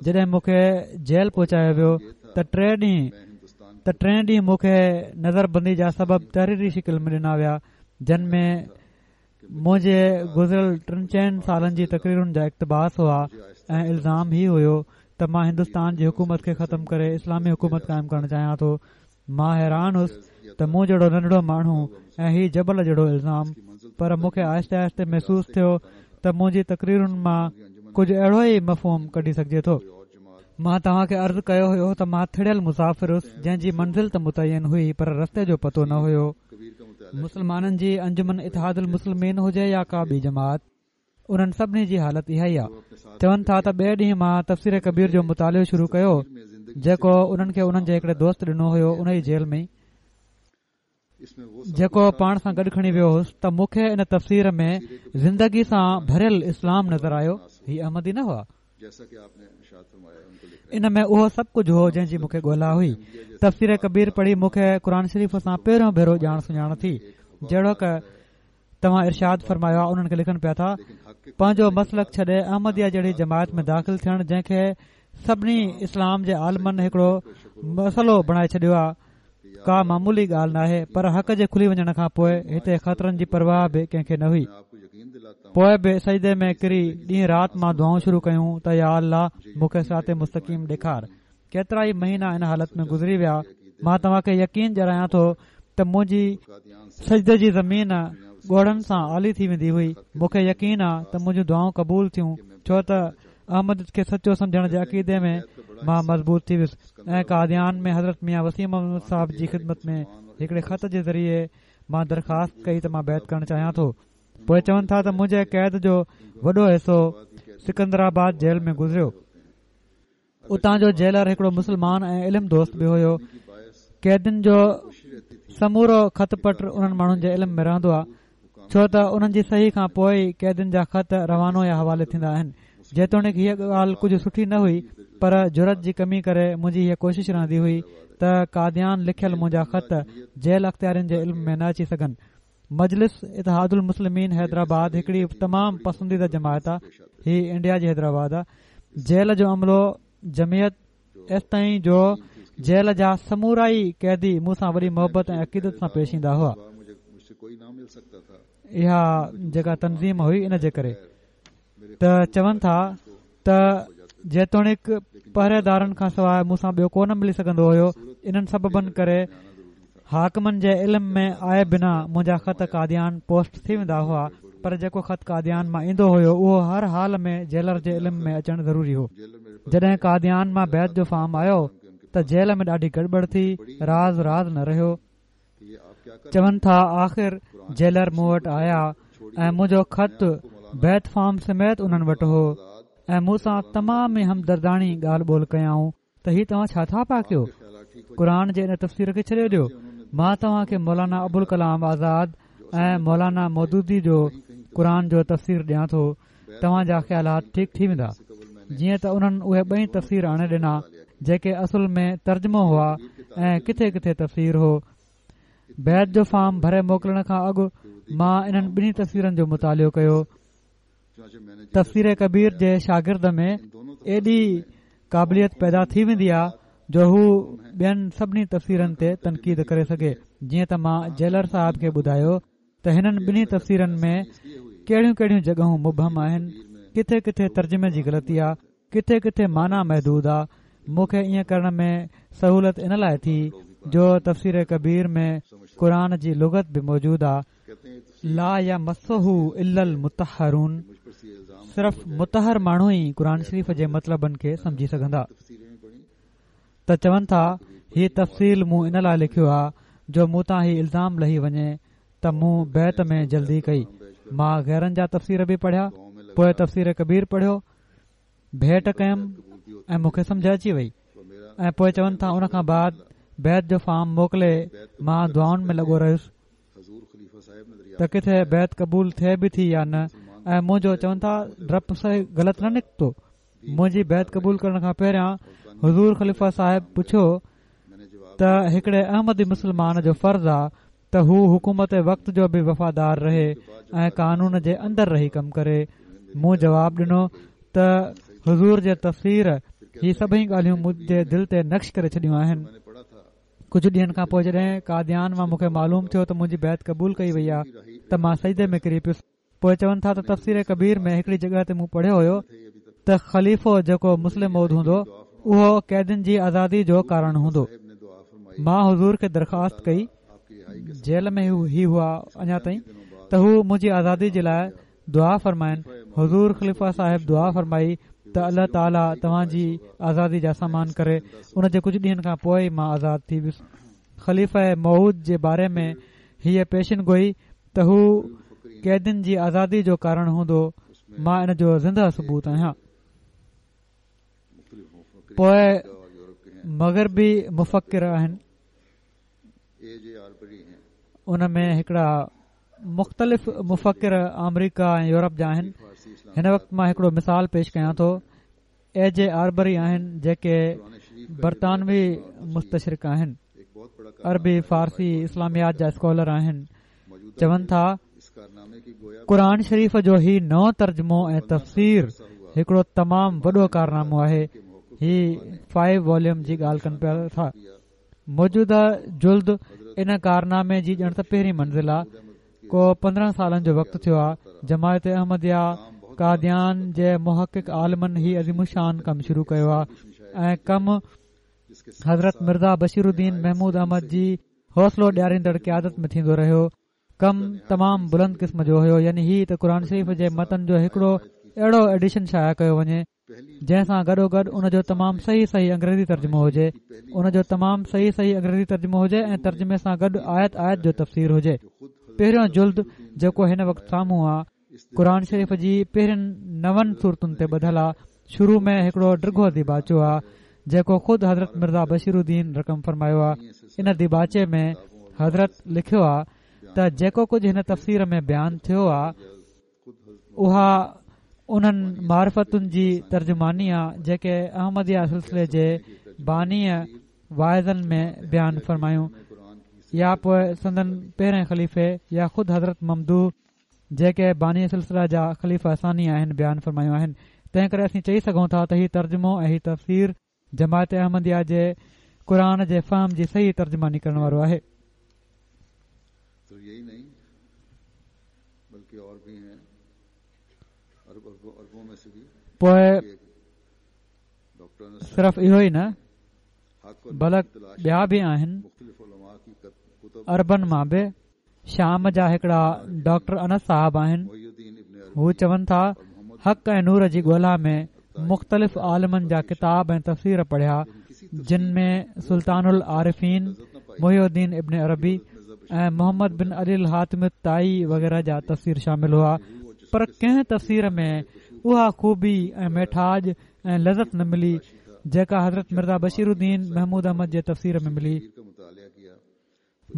جڏهن مون کي جيل پهچايو ويو ته ٽي ڏينهن ته ٽئين ڏينهن مون کي نظر بندي جا سبب تحريري شڪل ۾ ڏنا ويا، جن ۾ منهنجي گذريل ٽن چئن سالن جي تقريرن جا اقتباس هئا ۽ الزام هي هيو ته مان هندستان جي حڪومت کي ختم ڪري اسلامي حڪومت قائم ڪرڻ چاهيان ٿو. مان حيران هوس ته مون جهڙو ننڍڙو ماڻهو ۽ هي جبل جهڙو الزام، پر مون کي آهستي آهستي محسوس ٿيو ته منهنجي تقريرن مان ڪجهه اهڙو ئي مفهوم ڪڍي سگهجي ٿو. مان توهان کي عرض ڪيو هيو ته مان ٿڙيل مسافر هوس جنهن جي منزل ته متعين هئي پر رستي جو پتو نه هيو. مسلمانن جي انجمن اتحاد المسلمين هجي يا ڪا ٻي جماعت، انهن سڀني جي حالت اها ئي آهي. چون ٿا ته ٻئي ڏينهن مان تفسير ڪبير جو مطالعو شروع ڪيو جيڪو انهن کي انهن جي هڪڙي دوست ڏنو هيو، ان ئي جيل ۾ جيڪو پاڻ سان گڏ کڻي ويو هوس، ته مون کي ان تفسير ۾ زندگي سان ڀريل اسلام نظر آيو. هي احمدي نه هئا. ان ۾ اهو سڀ ڪجهه هو جنهن جي مون کي ڳولا هئي. تفسير ڪبير پڙهي مون کي قرآن شريف سان پهريون ڀيرو ڄاڻ سڃاڻ ٿي. جهڙوڪ توهان ارشاد فرمايو آهي، انهن کي لکن پيا ٿا پنهنجو مسلڪ ڇڏي احمديه جهڙي جماعت ۾ داخل ٿيڻ، جنهن کي سڀني اسلام جي عالمن هڪڙو مسئلو بڻائي ڇڏيو آهي، ڪا معمولي ڳالهه ناهي، پر حق جي کلي وڃڻ کان پوءِ هتي خطرن جي پرواهه به ڪنهن کي نه هئي. پوءِ به سجدي ۾ ڪري ڏينهن رات مان دعائون شروع ڪيون ته يا الله مون کي صراط مستقيم ڏيکار. ڪيترا ئي مهينا ان حالت ۾ گذري ويا. مان توهان کي يقين ڏياريان ٿو ته منهنجي سجدي جي زمين ڳوڙهن سان آلي ٿي ويندي هئي. مون کي يقين آهي ته منهنجون دعائون قبول ٿيون، ڇو ته احمد کي سچو سمجهڻ جي عقيدي ۾ مان مضبوط ٿي ويس ۽ قاديان ۾ حضرت ميان وسيم احمد صاحب جي خدمت ۾ هڪڙي خط جي ذريعي مان درخواست ڪئي ته مان بيعت ڪرڻ چاهيان ٿو. پوءِ چون ٿا ته منهنجي قيد جو وڏو حصو سڪندرآباد جيل ۾ گذريو. اتان جو جيلر هڪڙو مسلمان ۽ علم دوست به هيو. قيدين جو سمورو خط پٽ انهن ماڻهن جي علم ۾ رهندو آهي، ڇو ته انهن جي صحيح کان پوءِ ئي قيدين جا خط روانو يا حوالي ٿيندا آهن. جيتوڻيڪ هيءَ ڳالهه ڪجهه سٺي نه هئي، پر جرئت جي ڪمي ڪري منهنجي هيءَ ڪوشش رهندي هئي ته قاديان لکيل منهنجا خط جيل اختيارين جي علم ۾ نه اچي سگهن. مجلس اتحاد المسلمين حيدرآباد هڪڙي تمام پسنديده جماعت آهي. هي انڊيا جي حيدرآباد آهي. جيل جو عملو جمعيت ايستائين جو جيل جا سمورا ئي قيدي مون سان وڏي محبت ۽ عقيدت سان پيش ايندا هئا. اها جيڪا تنظيم هئي ان جي ڪري ته چون ٿا ته جيتوڻيڪ پهريدارن کان سواءِ مون سان ٻيو ڪو نه ملي سگهندو هيو، انهن سببن ڪري حاڪمن جي علم ۾ آئي بنا منهنجا خط قاديان پوسٽ ٿي ويندا هئا، پر جيڪو خط قاديان مان ايندو هيو اهو هر حال ۾ جيلر جي علم ۾ اچڻ ضروري هو. جڏهن قاديان مان بيعت جو فارم آيو ته جيل ۾ ڏاڍي گڙٻڙ ٿي، راز راز نه رهيو. چون ٿا آخر جيلر مون وٽ آيا ۽ منهنجو خط بيعت فارم سميت انهن وٽ هو ۽ مون سان تمام ئي همدرداڻي ڳالهه ٻولهه ڪيائون ته هي توهان ڇا ٿا پيا ڪيو، قرآن جي ان تفسير کي ڇڏيو ڏيو، مان توهان کي مولانا ابوالڪلام آزاد ۽ مولانا مودودي جو قرآن جو تفسير ڏيان ٿو، توهان جا خيالات ٺيڪ ٿي ويندا. جيئن ته انهن اهي ٻئي تفسير آڻي ڏنا جيڪي اصل ۾ ترجمو هئا ۽ ڪٿي ڪٿي تفسير هو. بيعت جو فارم ڀري موڪلڻ کان اڳ مان انهن ٻنهي تفسيرن جو مطالعو ڪيو. تفسير ڪبير جي شاگرد ۾ ايڏي قابليت پيدا ٿي ويندي آهي جو هو ٻين سڀني تفسيرن تي تنقيد ڪري سگهي. جيئن ته مان جيلر صاحب کي ٻڌايو ته هنن ٻنهي تفسيرن ۾ ڪهڙيون ڪهڙيون جڳهون مبهم آهن، ڪٿي ڪٿي ترجمي جي غلطي آهي، ڪٿي ڪٿي معنيٰ محدود آهي. مون کي ائين ڪرڻ ۾ سهولت ان لاءِ ٿي جو تفسير ڪبير ۾ قرآن جي لغت به موجود آهي. لا يمسه الا المطهرون، صرف مطهر ماڻهو ئي قرآن شريف جي مطلبن کي سمجهي سگهندا. ته چون ٿا هي تفصيل مون ان لاءِ لکيو آهي جو مون تان هي الزام لهي وڃي ته مون بيعت ۾ جلدي ڪئي. مان غيرن جا تفسير به پڙهيا، پوءِ تفسير ڪبير پڙهيو، ڀيٽ ڪيم ۽ مون کي سمجهه اچي وئي. ۽ پوءِ چون ٿا ان کان بعد بيعت جو فارم موڪلي مان دعائن ۾ لڳو رهيس ته ڪٿي بيعت قبول ٿئي به ٿي يا نه، ۽ منهنجو چون ٿا ڊپ صحيح غلط نه نڪتو. منهنجي بيعت قبول ڪرڻ کان پهريان حضور خليفه صاحب پڇيو ته هڪڙي احمدي مسلمان جو فرض آ ته هو حڪومت وقت جو به وفادار رهي ۽ قانون جي اندر رهي ڪم ڪري. مون جواب ڏنو ته حضور جي تفسير هي سڀئي ڳالهيون منهنجي دل تي نقش ڪري ڇڏيون آهن. ڪجهه ڏينهن کان پوءِ جڏهن قاديان مان مون کي معلوم ٿيو ته منهنجي بيعت قبول ڪئي وئي آهي ته مان سجدي ۾ ڪري پيس. پوءِ چون ٿا ته تفسير ڪبير ۾ هڪڙي جڳهه تي مون پڙهيو هيو ته خليفو جيڪو مصلح موعود هوندو اهو قيدين جي آزادي جو ڪارڻ هوندو. مان حضور کي درخواست ڪئي، جيل ۾ هي هئا اڃا تائين، ته هو منهنجي آزادي جي لاءِ دعا فرمائن. حضور خليفه صاحب دعا فرمائي ته الله تعاليٰ توهان جي آزادي جا سامان ڪري. ان جي ڪجهه ڏينهن کان پوءِ مان آزاد ٿي ويس. خليفه موعود جي باري ۾ هيءَ پيشن گوئي ته هو قيدين جي آزادي جو ڪارڻ هوندو، مان ان جو زنده ثبوت آهيان. پوءِ مغربي مفڪر آهن، ان ۾ هڪڙا مختلف مفڪر آمريڪا ۽ يورپ جا آهن. هن وقت مان هڪڙو مثال پيش ڪيان ٿو. اي جي آربري آهن جيڪي برطانوي مستشرق آهن، عربي فارسي اسلاميات جا اسڪالر آهن. چون ٿا قرآن شريف جو هي نئون ترجمو ۽ تفسير هڪڙو تمام وڏو ڪارنامو آهي. هي فائيو واليوم جي ڳالهه ڪن پيا ٿا. موجوده جلد ان ڪارنامي جي ڄڻ ته پهرين منزل آهي. ڪو پندرهن سالن جو وقت ٿيو آهي. جماعت احمديه قاديان جي محقق عالمن هي عظيم الشان ڪم شروع ڪيو آهي ۽ ڪم حضرت مرزا بشير الدين محمود احمد جي حوصلو ڏياريندڙ قيادت ۾ ٿيندو رهيو. ڪم تمام بلند قسم جو هيو، يعني هي ته قرآن شريف جي متن جو هڪڙو اهڙو ايڊيشن شايع ڪيو وڃي جنهن سان گڏوگڏ ان جو تمام صحيح صحيح انگريزي ترجمو هجي، ان جو تمام صحيح صحيح انگريزي ترجمو هجي ۽ ترجمي سان گڏ آيت آيت جو تفسير هجي. پهريون جلد جيڪو هن وقت سامهون آهي قرآن شريف جي پهرين نون سورتن تي ٻڌل آهي. شروع ۾ هڪڙو ڊگهو ديباچو آهي جيڪو خود حضرت مرزا بشير الدين رقم فرمايو آهي. ان ديباچي ۾ حضرت لکيو آهي ته جيڪو ڪجهه هن تفسير ۾ بيان ٿيو آهي اها انهن معرفتن جي ترجماني آهي جيڪي احمديه سلسلي جي بانيءَ واعظن ۾ بيان فرمايون، يا پوءِ سندن پهرين خليفي يا خود حضرت ممدوح جيڪي باني سلسله جا خليفه ثاني آهن بيان فرمايون آهن. تنهن ڪري اسين چئي سگهون ٿا ته هي ترجمو ۽ هي تفسير جماعت احمديه جي قرآن جي فهم جي صحيح ترجماني ڪرڻ وارو آهي. پوءِ صرف اهو ئي نه بلڪ ٻيا به آهن. عربن مان به شام جا هڪڙا ڊاڪٽر انس صاحب آهن. هو چون ٿا حق ۽ نور جي ڳولا ۾ مختلف عالمن جا ڪتاب ۽ تفسير پڙهيا، جن ۾ سلطان العارفين محي الدين ابن عربي، ۽ محمد بن علي الحاتم الطائي وغيره جا تفسير شامل هئا، پر ڪنهن تفسير ۾ اها خوبي ۽ ميٺاج ۽ لذت نه ملي جيڪا حضرت مرزا بشير الدين محمود احمد جي تفسير ۾ ملي.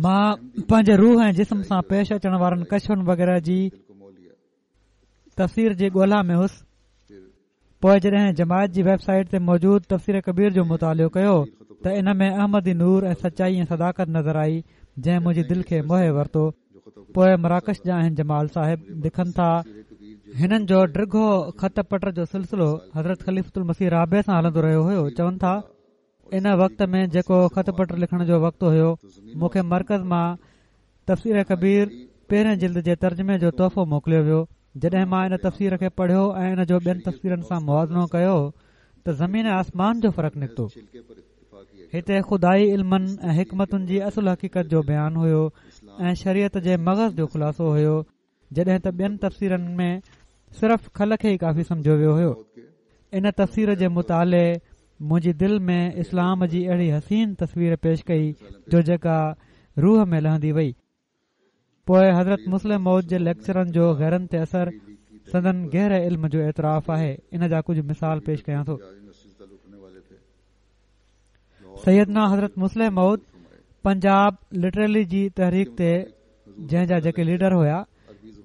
مان پنهنجي روح ۽ جسم سان پيش اچڻ وارن ڪشفن وغيره جي تفسير جي ڳولا ۾ هوس. پوءِ جڏهن جماعت جي ويب سائيٽ تي موجود تفسير ڪبير جو مطالعو ڪيو ته ان ۾ احمدي نور ۽ سچائي ۽ صداقت نظر آئي، جنهن منهنجي دل کي موهي ورتو. پوءِ مراڪش جا آهن جمال صاحب، لکن ٿا، هنن جو ڊگهو خط پٽ جو سلسلو حضرت خليفة المسيح رابع سان هلندو رهيو هيو. چون ٿا، ان وقت ۾ جيڪو خط پٽ لکڻ جو وقت هيو، مون کي مرڪز مان تفسير ڪبير پهرين جلد جي ترجمي جو تحفو موڪليو ويو. جڏهن مان ان تفسير کي پڙهيو ۽ ان جو ٻين تفسيرن سان موازنو ڪيو ته زمين ۽ آسمان جو فرق نڪتو. هتي خدائي علمن ۽ حڪمتن جي اصل حقيقت جو بيان هيو ۽ شريعت جي مغز جو خلاصو هيو، جڏهن ته ٻين تفسيرن ۾ صرف کل کي ئي ڪافي سمجهيو ويو هيو. ان تفسير جي مطالعي منهنجي دل ۾ اسلام جي اهڙي حسين تصوير پيش ڪئي جو جيڪا روح ۾ لهندي وئي. پوءِ حضرت مصلح موعود جي ليڪچرن جو غيرن تي اثر سندن گهري علم جو اعتراف آهي. ان جا ڪجهه مثال پيش ڪيان ٿو. سيدنا حضرت مصلح موعود پنجاب لٽرلي جي تحريڪ تي، جنهن جا جيڪي ليڊر هئا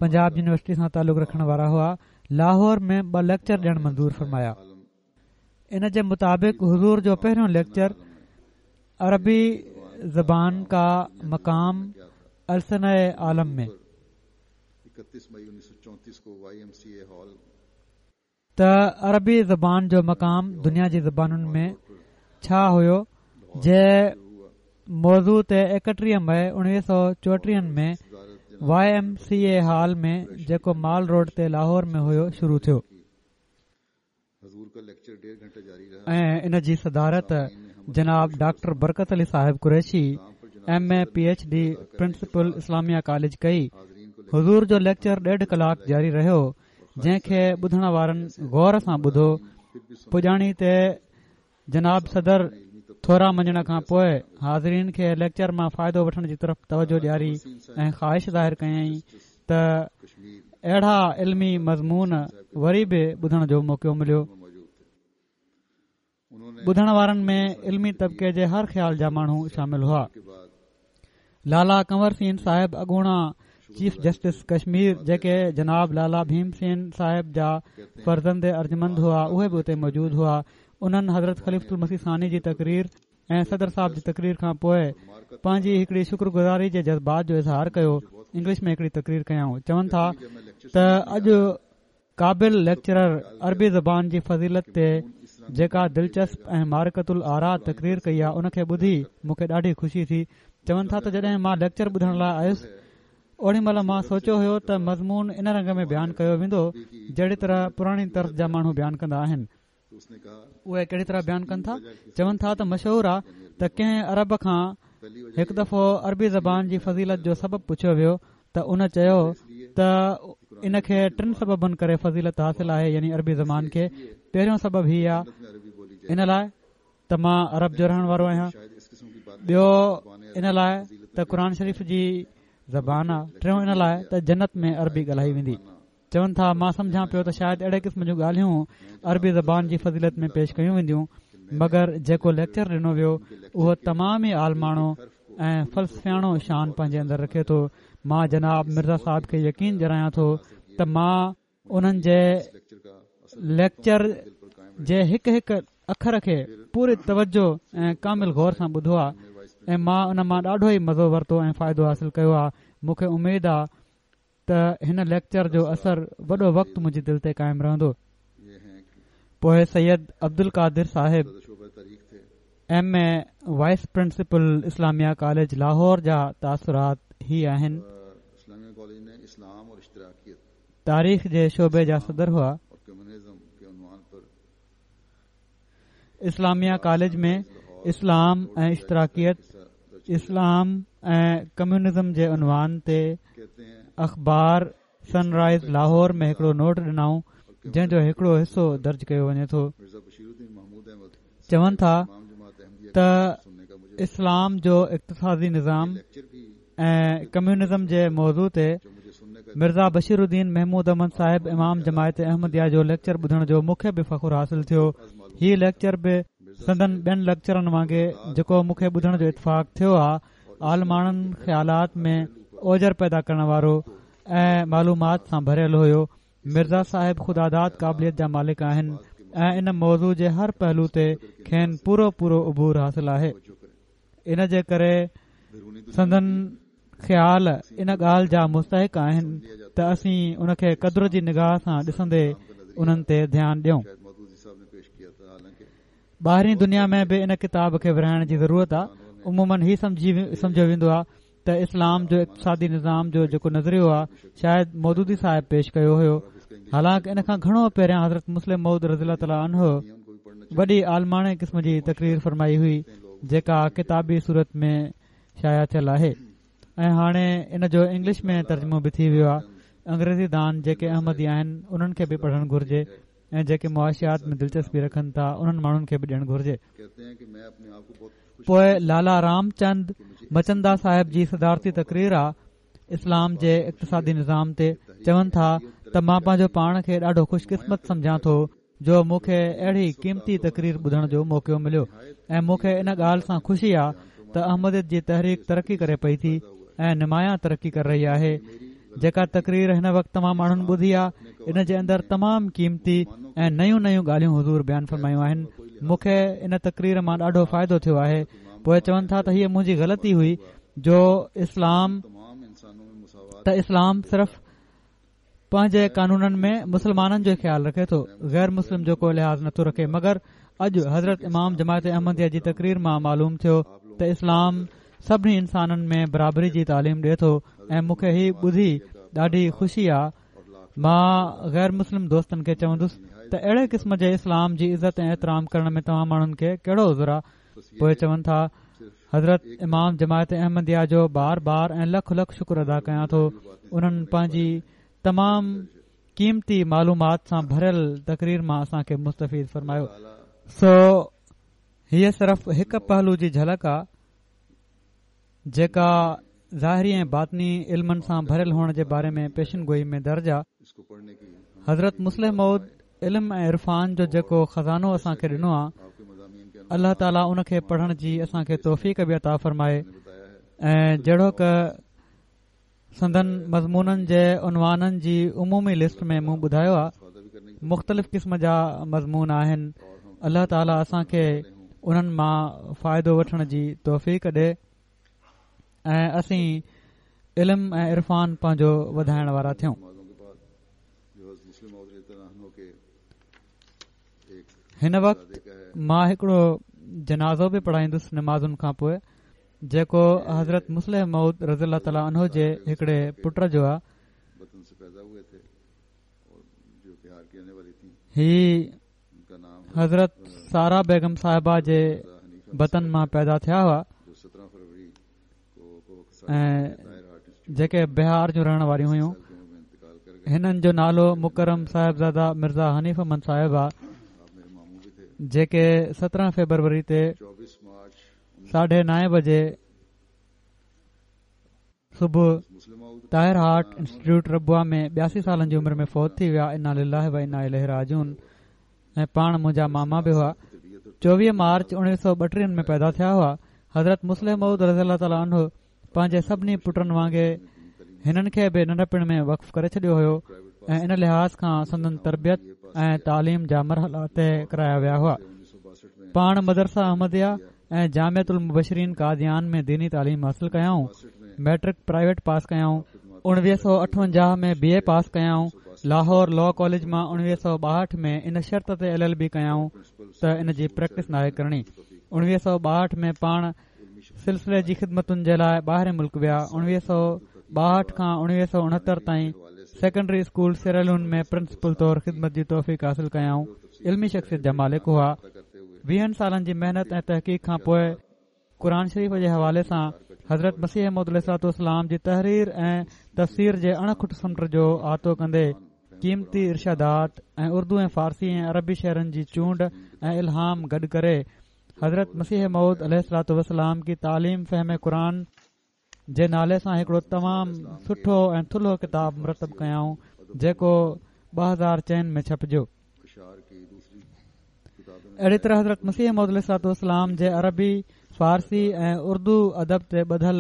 پنجاب يونيورسٽي سان تعلق رکڻ وارا هئا، لاهور ۾ ٻه ليڪچر ڏيڻ منظور فرمايا. ان جي مطابق حضور جو پهريون ليڪچر عربي زبان کا مقام السنہ عالم ۾ ته عربي زبان جو مقام دنيا جي زبانن ۾ ڇا هيو جي موضوع تي ايڪٽيهه مئي اڻويهه سؤ چوٽيهن ۾ Y M C A hall ۾ جيڪو مال روڊ تي لاهور ۾ هيو شروع ٿيو ۽ ان جي صدارت جناب ڊاڪٽر برڪت علي صاحب Qureshi M A P H D principal Islamia college ڪئي. حضور جو ليڪچر ڏيڍ ڪلاڪ جاري رهيو، جنهن کي ٻڌڻ وارن غور سان ٻڌو. پڄاڻي تي جناب صدر ٿورا مڃڻ کان پوءِ حاضرين کي ليڪچر مان فائدو وٺڻ جي طرف توجه ڏياري ۽ خواهش ظاهر ڪيائين ته اهڙا علمي مضمون وري به ٻڌڻ جو موقعو مليو. ٻڌڻ وارن ۾ علمي طبقي جي هر خيال جا ماڻهو شامل هئا. لالا ڪنور سين صاحب اڳوڻا چيف جسٽس ڪشمير، جيڪي جناب لالا ڀيم سين صاحب جا فرزند ارجمند هئا، اهي به اتي موجود هئا. انهن حضرت خليفة المسيح ثاني جي تقرير ۽ صدر صاحب جي تقرير کان پوءِ پنهنجي هڪڙي شڪر گذاري جي جذبات جو اظهار ڪيو. انگلش ۾ هڪڙي تقرير ڪيائون. چون ٿا ته اڄ قابل ليڪچرر عربي زبان جي فضيلت تي جيڪا دلچسپ ۽ معرڪة الآراء تقرير ڪئي آهي، ان کي ٻڌي مون کي ڏاڍي خوشي ٿي. چون ٿا ته جڏهن مان ليڪچر ٻڌڻ لاءِ آيس اوڏي مهل مان سوچيو هيو ته مضمون ان رنگ ۾ بيان ڪيو ويندو جهڙي طرح پراڻي طرز جا ماڻهو بيان ڪندا آهن. اهي ڪهڙي طرح بيان ڪن ٿا؟ چون ٿا ته مشهور آهي ته ڪنهن عرب کان هڪ دفعو عربي زبان جي فضيلت جو سبب پڇيو ويو ته ان چيو ته ان کي ٽن سببن ڪري فضيلت حاصل آهي، يعني عربي زبان کي. پهريون سبب هي آهي ان لاءِ ته مان عرب جو رهڻ وارو آهيان، ٻيو ان لاءِ ته قرآن شريف جي زبان آهي، ٽيون ان لاءِ ته جنت ۾ عربي ڳالهائي ويندي. چون ٿا مان سمجهان پيو ته شايد اهڙي قسم جون ڳالهيون عربي زبان جي فضيلت ۾ پيش ڪيون وينديون، مگر جيڪو ليڪچر ڏنو ويو اهو تمام ئي عالماڻو ۽ فلسفياڻو شان پنهنجي اندر رکي ٿو. مان جناب مرزا صاحب کي يقين ڏياريان ٿو ته مان انهن جي ليڪچر جي هڪ هڪ اکر کي پوري توجه ۽ ڪامل غور سان ٻڌو آهي ۽ مان ان مان ڏاڍو ئي مزو ورتو ۽ فائدو حاصل ڪيو آهي. مون کي اميد آهي ته هن ليڪچر جو اثر وڏو وقت منهنجي دل تي قائم رهندو. پوءِ سيد عبدالقادر صاحب M A vice principal Islamia college Lahore جا تاثرات هي آهن. تاريخ جي شعبي جا صدر هئا. اسلاميه ڪاليج ۾ اسلام ۽ اشتراڪيت، اسلام ۽ ڪميونزم جي عنوان تي اخبار سن رائز لاهور ۾ هڪڙو نوٽ ڏنائون، جنهن جو هڪڙو حصو درج ڪيو وڃي ٿو. چون ٿا ته اسلام جو اقتصادي نظام ۽ ڪميونزم جي موضوع تي مرزا بشير الدين محمود احمد صاحب امام جماعت احمديه جو ليڪچر ٻڌڻ جو مون کي به فخر حاصل ٿيو. هي ليڪچر به سندن ٻين ليڪچرن وانگي جيڪو مون کي ٻڌڻ جو اتفاق ٿيو آ، عالماڻن خيالات ۾ اوجر پيدا ڪرڻ وارو ۽ معلومات سان ڀريل هيو. مرزا صاحب خداداد قابليت جا مالڪ آهن ۽ ان موضوع جي هر پهلو تي کين پورو پورو عبور حاصل آهي. ان جي ڪري سندن خيال ان ڳالهه جا مستحق آهن ته اسين ان کي قدر جي نگاهه سان ڏسندي انهن تي ڌيان ڏيون. ٻاهرين دنيا ۾ به ان ڪتاب کي ورهائڻ جي ضرورت آهي. عموماً هي سمجهيو ويندو آهي ته اسلام جو اقتصادي نظام جو جيڪو نظريو آهي شايد مودودي صاحب پيش ڪيو هيو، حالانڪ ان کان گهڻو پهريان حضرت مصلح موعود رضي الله تعاليٰ عنه وڏي عالماڻي قسم جي تقرير فرمائي هئي جيڪا ڪتابي صورت ۾ شايع ٿيل آهي ۽ هاڻي ان جو انگلش ۾ ترجمو به ٿي ويو آهي. انگريزي دان جيڪي احمدي آهن انهن کي به پڙهڻ گهرجي ۽ جيڪي معاشيات ۾ دلچسپي رکن ٿا انهن ماڻهن کي به ڏيڻ گهرجي. پوءِ لالا رام چند مچندا صاحب جي صدارتي تقرير آ اسلام جي اقتصادي نظام تي. چون ٿا ته مان پنهنجو پاڻ کي ڏاڍو خوش قسمت سمجهان ٿو جو مون کي اهڙي قيمتي تقرير ٻڌڻ جو موقعو مليو ۽ مون کي ان ڳالهه سان خوشي آ ته احمديت جي تحريڪ ترقي ڪري پئي ٿي ۽ نمايان ترقي ڪري رهي آهي. جيڪا تقرير هن وقت تمام ماڻهن ٻڌي آ ان جي اندر تمام قيمتي ۽ نيون نيون ڳالهيون حضور بيان فرمايون آهن. مون کي ان تقرير مان ڏاڍو فائدو ٿيو آهي. پوءِ چون ٿا ته هيءَ منهنجي غلطي هئي جو اسلام ته اسلام صرف پنهنجي قانونن ۾ مسلمانن جو خيال رکي ٿو، غير مسلم جو ڪو لحاظ نٿو رکي. مگر اڄ حضرت امام جماعت احمديه جي تقرير مان معلوم ٿيو ته اسلام سڀني انسانن ۾ برابري جي تعليم ڏئي ٿو ۽ مون کي هي ٻڌي ڏاڍي خوشي آ. مان غير مسلم دوستن کي چوندس ته اهڙي قسم جي اسلام جي عزت ۽ احترام ڪرڻ ۾ توهان ماڻهن کي ڪهڙو عذر آ؟ پوءِ چون ٿا حضرت امام جماعت احمديه جو بار بار ۽ لک لک شڪر ادا ڪيان ٿو، انهن پنهنجي تمام قيمتي معلومات سان ڀريل تقرير مان اسان کي مستفيد فرمايو. سو هيءَ صرف هڪ پهلو جي جهلڪ آ جيڪا ظاهري ۽ باطني علمن سان ڀريل هئڻ جي باري ۾ پيشن گوئي ۾ درج آ. حضرت مصلح موعود علم ۽ عرفان جو جيڪو خزانو اسان کي ڏنو آ، الله تعاليٰ ان کي پڙهڻ جي اسان کي توفيق به عطا فرمائي ۽ جهڙوڪ سندن مضمونن جي عنوانن جي عمومي لسٽ ۾ مون ٻڌايو آ، مختلف قسم جا مضمون آهن. الله تعاليٰ اسان کي انهن مان فائدو وٺڻ جي توفيق ڏي ۽ اسين علم ۽ عرفان پنهنجو وڌائڻ وارا ٿيون. هن وقت مان هڪڙو جنازو به پڙهائيندس نمازن کان پوءِ، جيڪو حضرت مصلح موعود رضي الله تعاليٰ عنه جي هڪڙي پٽ جو آ. هي حضرت سارا بيگم صاحبه جي بطن مان پيدا ٿيا هئا ۽ جيڪي بهار جون رهڻ واريون هيون. هنن جو نالو مڪرم صاحبزاده مرزا حنيف احمد صاحب آ، جيڪي سترهن فيبروري تي ساڍي نائين بجي صبح طاهر هارٽ انسٽيٽيوٽ ربوه ۾ ٻياسي سالن جي عمر ۾ فوت ٿي ويا. انا لله و انا اليه راجعون. ۽ پاڻ منهنجا ماما به هئا. چوويهه مارچ اڻويهه سؤ ٻٽيهن ۾ پيدا ٿيا هئا. حضرت مصلح موعود رضي الله تعاليٰ عنه پنهنجي سڀني پٽن وانگي هنن کي به ننڍپڻ ۾ وقف ڪري ڇڏيو هيو ۽ ان لحاظ کان سندن تربيت ۽ تعليم جا مرحلا طئي ڪرايا ويا هئا. پاڻ مدرسه احمديه ۽ جامعة المبشرين قاديان ۾ ديني تعليم حاصل ڪيائون. ميٽرڪ پرائيويٽ پاس ڪيائون. اڻويهه سؤ اٺونجاهه ۾ بي اي پاس ڪيائون. لاهور لا ڪاليج مان اڻويهه سؤ ٻاهٺ ۾ ان شرط تي ايل ايل بي ڪيائون ته ان جي پريڪٽس ناهي ڪرڻي. اڻويهه سؤ ٻاهٺ ۾ پاڻ سلسلي جي خدمتن جي لاءِ ٻاهرين ملڪ ويا. اڻويهه سؤ ٻاهٺ کان اڻويهه سؤ اڻهتر تائين سيڪنڊري اسڪول سيراليون ۾ پرنسپل طور خدمت جي توفيق حاصل ڪيائون. علمي شخصيت جا مالڪ هئا. ويهن سالن جي محنت ۽ تحقيق کان پوءِ قرآن شريف جي حوالي سان حضرت مسيح موعود عليه الصلوة والسلام جي تحرير ۽ تفسير جي اڻ کٽ سمنڊ جو احاطو ڪندي قيمتي ارشادات ۽ اردو ۽ فارسي ۽ عربي شعرن جي چونڊ ۽ الهام گڏ ڪري حضرت مسيح موعود عليه الصلوة والسلام ڪي تعليم فهم قرآن جي نالي سان هڪڙو تمام سٺو ۽ ٿلهو ڪتاب مرتب ڪيائون، جيڪو ٻه هزار چئن ۾ ڇپجيو. اهڙي طرح حضرت مسيح موعود عليه الصلوة والسلام جي عربي، فارسي ۽ اردو ادب تي ٻڌل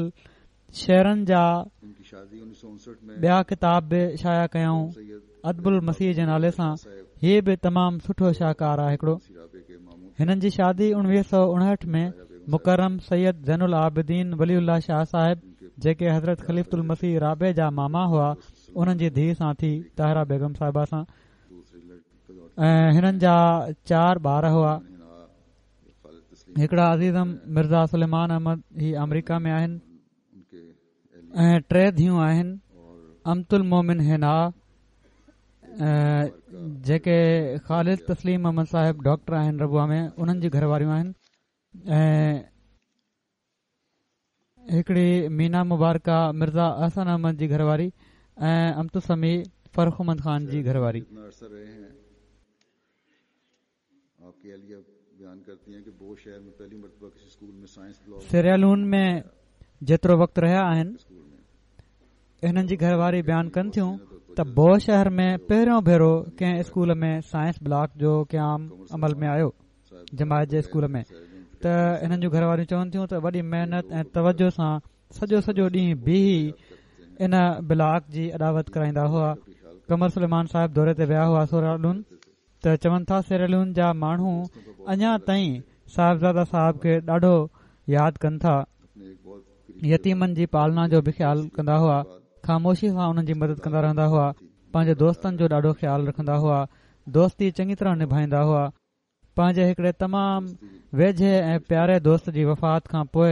شعرن جا ٻيا ڪتاب به شايع ڪيائون ادب المسيح جي نالي سان. هي به تمام سٺو شاهڪار آهي هڪڙو. هنن جي شادي اڻويهه سؤ اڻهٺ ۾ مڪرم سيد زين العابدين ولي الله شاهه صاحب، جيڪي حضرت خليفة المسيح رابع جا ماما هئا، انهن جي ڌيء سان ٿي، طاهره بيگم صاحبه سان. ۽ هنن جا چار ٻار هئا. هڪڙا عزيزم مرزا سليمان احمد، هي آمريڪا ۾ آهن، ۽ ٽي ڌيئون آهن، امت المومن حنا، جيڪي خالد تسليم احمد صاحب ڊاڪٽر آهن ربوه ۾ انهن جي گهر واريون آهن، ۽ هڪڙي مينا مبارڪه مرزا احسن احمد جي گهر واري، ۽ امت السميع فرخ احمد خان جي گهر واري. سيراليون ۾ جيترو وقت رهيا آهن، هنن جي گهر واري بيان ڪن ٿيون ته بو شهر ۾ پهريون ڀيرو ڪنهن اسڪول ۾ سائنس بلاڪ جو قيام عمل ۾ آيو، جماعت جي اسڪول ۾. ته هنن جون گهر واريون چون ٿيون ته وڏي محنت ۽ توجه سان سڄو سڄو ڏينهن بيهي ان بلاڪ جي اڏاوت ڪرائيندا هئا. قمر سليمان صاحب دوري تي ويا هئا سيراليون، ته چون ٿا سيراليون جا ماڻهو اڃا تائين صاحبزاده صاحب کي ڏاڍو ياد ڪن ٿا. يتيمن جي پالنا جو به خيال ڪندا هئا، خاموشي سان انهن جي مدد ڪندا رهندا هئا، پنهنجي دوستن جو ڏاڍو خيال رکندا هئا، دوستي چڱي طرح نڀائيندا هئا. پنهنجي هڪڙي تمام ويجهي ۽ پياري دوست جي وفات کان پوءِ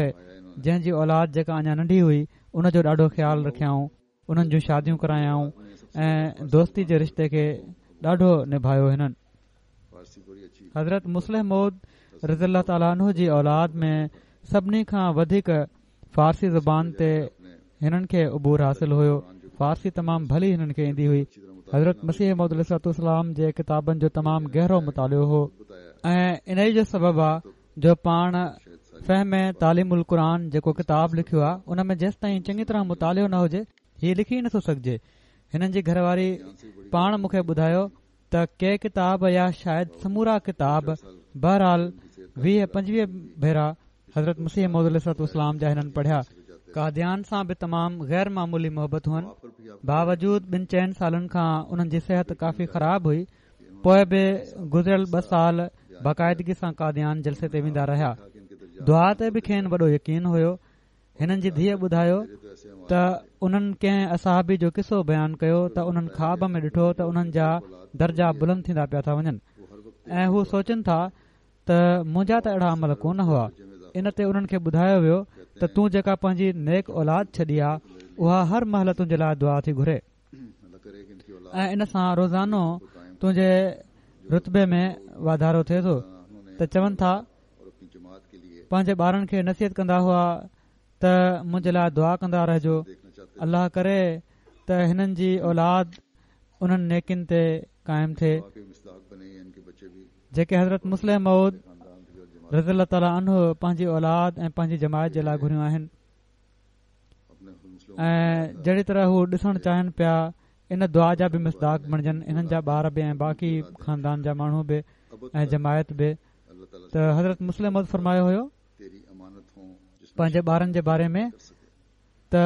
جنهن جي اولاد جيڪا اڃا ننڍي هئي، ان جو ڏاڍو خيال رکيائون، انهن جون شاديون ڪرايائون ۽ دوستي جي رشتي کي ڏاڍو نڀايو هنن. حضرت مصلح موعود رضي الله تعالٰي عنه جي اولاد ۾ سڀني کان وڌيڪ فارسي زبان تي هنن کي عبور حاصل هيو. فارسي تمام ڀلي هنن کي ايندي هئي. حضرت مسيح موعود عليه الصلوة والسلام جي ڪتابن جو تمام گهرو مطالعو هو، ۽ انهي جو سبب آ جو پاڻ فهم تعليم القرآن جيڪو ڪتاب لکيو آ، ان ۾ جيستائين چڱي طرح مطالعو نه هجي هي لکي ئي نٿو سگهجي. هنن جي گهر واري پاڻ مون کي ٻڌايو ته ڪي ڪتاب يا شايد سمورا ڪتاب بهرحال ويهه پنجويهه ڀيرا حضرت مسيح موعود عليه الصلوة والسلام جا هنن پڙهيا. قاديان سان به تمام غير معمولي محبت هئن، باوجود ٻن چئن سالن کان انهن جي صحت ڪافي خراب هئي، پوءِ به گذريل ٻه سال باقاعدگي سان قاديان جلسي تي ويندا رهيا. دعا تي به کين وڏو يقين هيو. هنن جي ڌيءَ ٻڌايو ته انهن ڪنهن اصحابي جو قصو بيان ڪيو ته انهن خواب ۾ ڏٺو ته انهن جا درجا بلند ٿيندا پيا ٿا وڃن ۽ هو سوچن ٿا ته منهنجا ته اهڙا عمل ڪونه هئا. ان تي انهن کي ٻڌايو ويو ته تون جيڪا پنهنجي نيڪ اولاد ڇڏي آ، اها هر مهل تنهنجي لاءِ دعا ٿي گهري ۽ ان سان روزانو تنهنجي رتبي ۾ واڌارو ٿئي ٿو. ته چون ٿا پنهنجي ٻارن کي نصيحت ڪندا هئا ته منهنجي لاءِ دعا ڪندا رهجو، الله ڪري ته هنن جي اولاد انهن نيڪين تي قائم ٿئي جيڪي حضرت مصلح موعود رضي الله تعالٰي عنه پنهنجي اولاد ۽ پنهنجي جماعت جي لاءِ گهريون آهن، ۽ جهڙي طرح هو ڏسڻ چاهين پيا ان دعا جا به مصداق بڻجن هنن جا ٻار به ۽ باقي خاندان جا ماڻهو به ۽ جماعت به. ته حضرت مصلح موعود فرمايو هيو پنهنجي ٻارن جي باري ۾ ته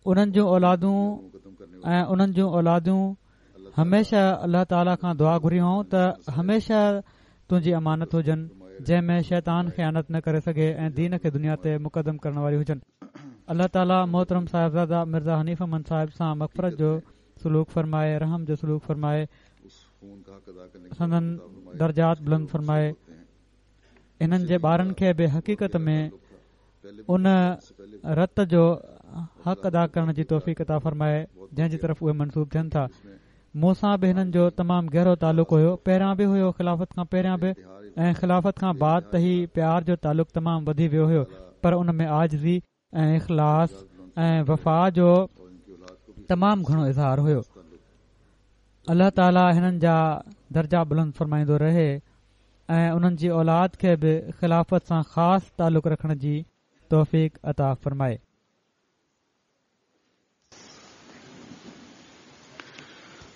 انهن جون اولادون ۽ انهن جون اولادون هميشه الله تعاليٰ کان دعا گهري هئائون ته هميشه تنهنجي امانت هجن، جنهن ۾ شيطان خيانت نه ڪري سگهي ۽ دين کي دنيا تي مقدم ڪرڻ واري هجن. الله تعاليٰ محترم صاحبزاده مرزا حنيف احمد صاحب سان مغفرت جو سلوڪ فرمائي، رحم جو سلوڪ فرمائي، سندن درجات بلند فرمائي. انهن جي ٻارن کي به حقيقت ۾ ان رت جو حق ادا ڪرڻ جي توفيق عطا فرمائي جنهن جي طرف اهي منسوب ٿين ٿا. مون سان به هنن جو تمام گهرو تعلق هيو، پهريان به هيو، خلافت کان پهريان به ۽ خلافت کان بعد ته هي پيار جو تعلق تمام وڌي ويو هيو، پر ان ۾ عاجزي ۽ اخلاص ۽ وفا جو تمام گهڻو اظهار هيو. الله تعاليٰ هنن جا درجا بلند فرمائيندو رهي ۽ انهن جي اولاد کي به خلافت سان خاص تعلق رکڻ جي توفيق عطا فرمائي.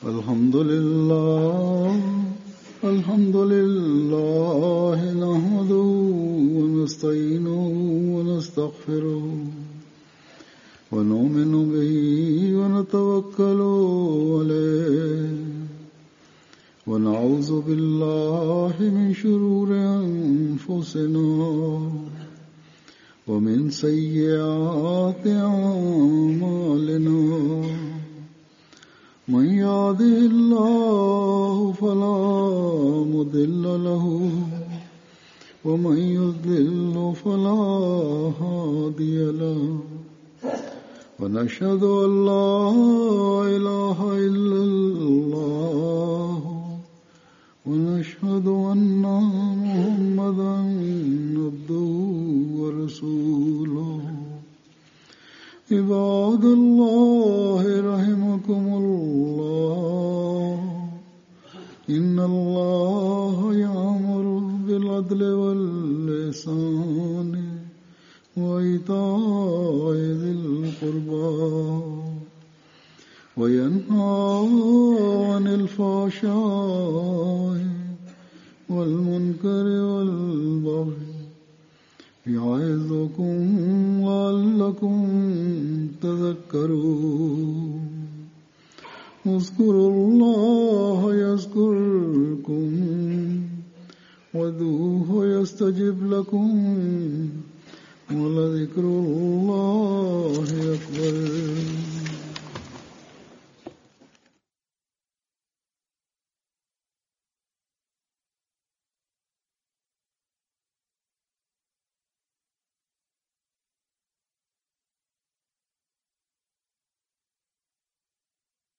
الحمد لله الحمد لله نحمده ونستعينه ونستغفره ونؤمن به ونتوكل عليه ونعوذ بالله من شرور أنفسنا ومن سيئات أعمالنا من يهده الله فلا مضل له ومن يضلل فلا هادي له ونشهد أن لا إله إلا الله ونشهد أن محمدا عبده ورسوله. عباد الله رحمكم الله، إن الله يأمر بالعدل والإحسان وإيتاء ذي القربى وينهى عن الفحشاء والمنكر والبغي يعظكم لعلكم تذكرون. اذكروا الله يذكركم وادعوه يستجب لكم ولذكر الله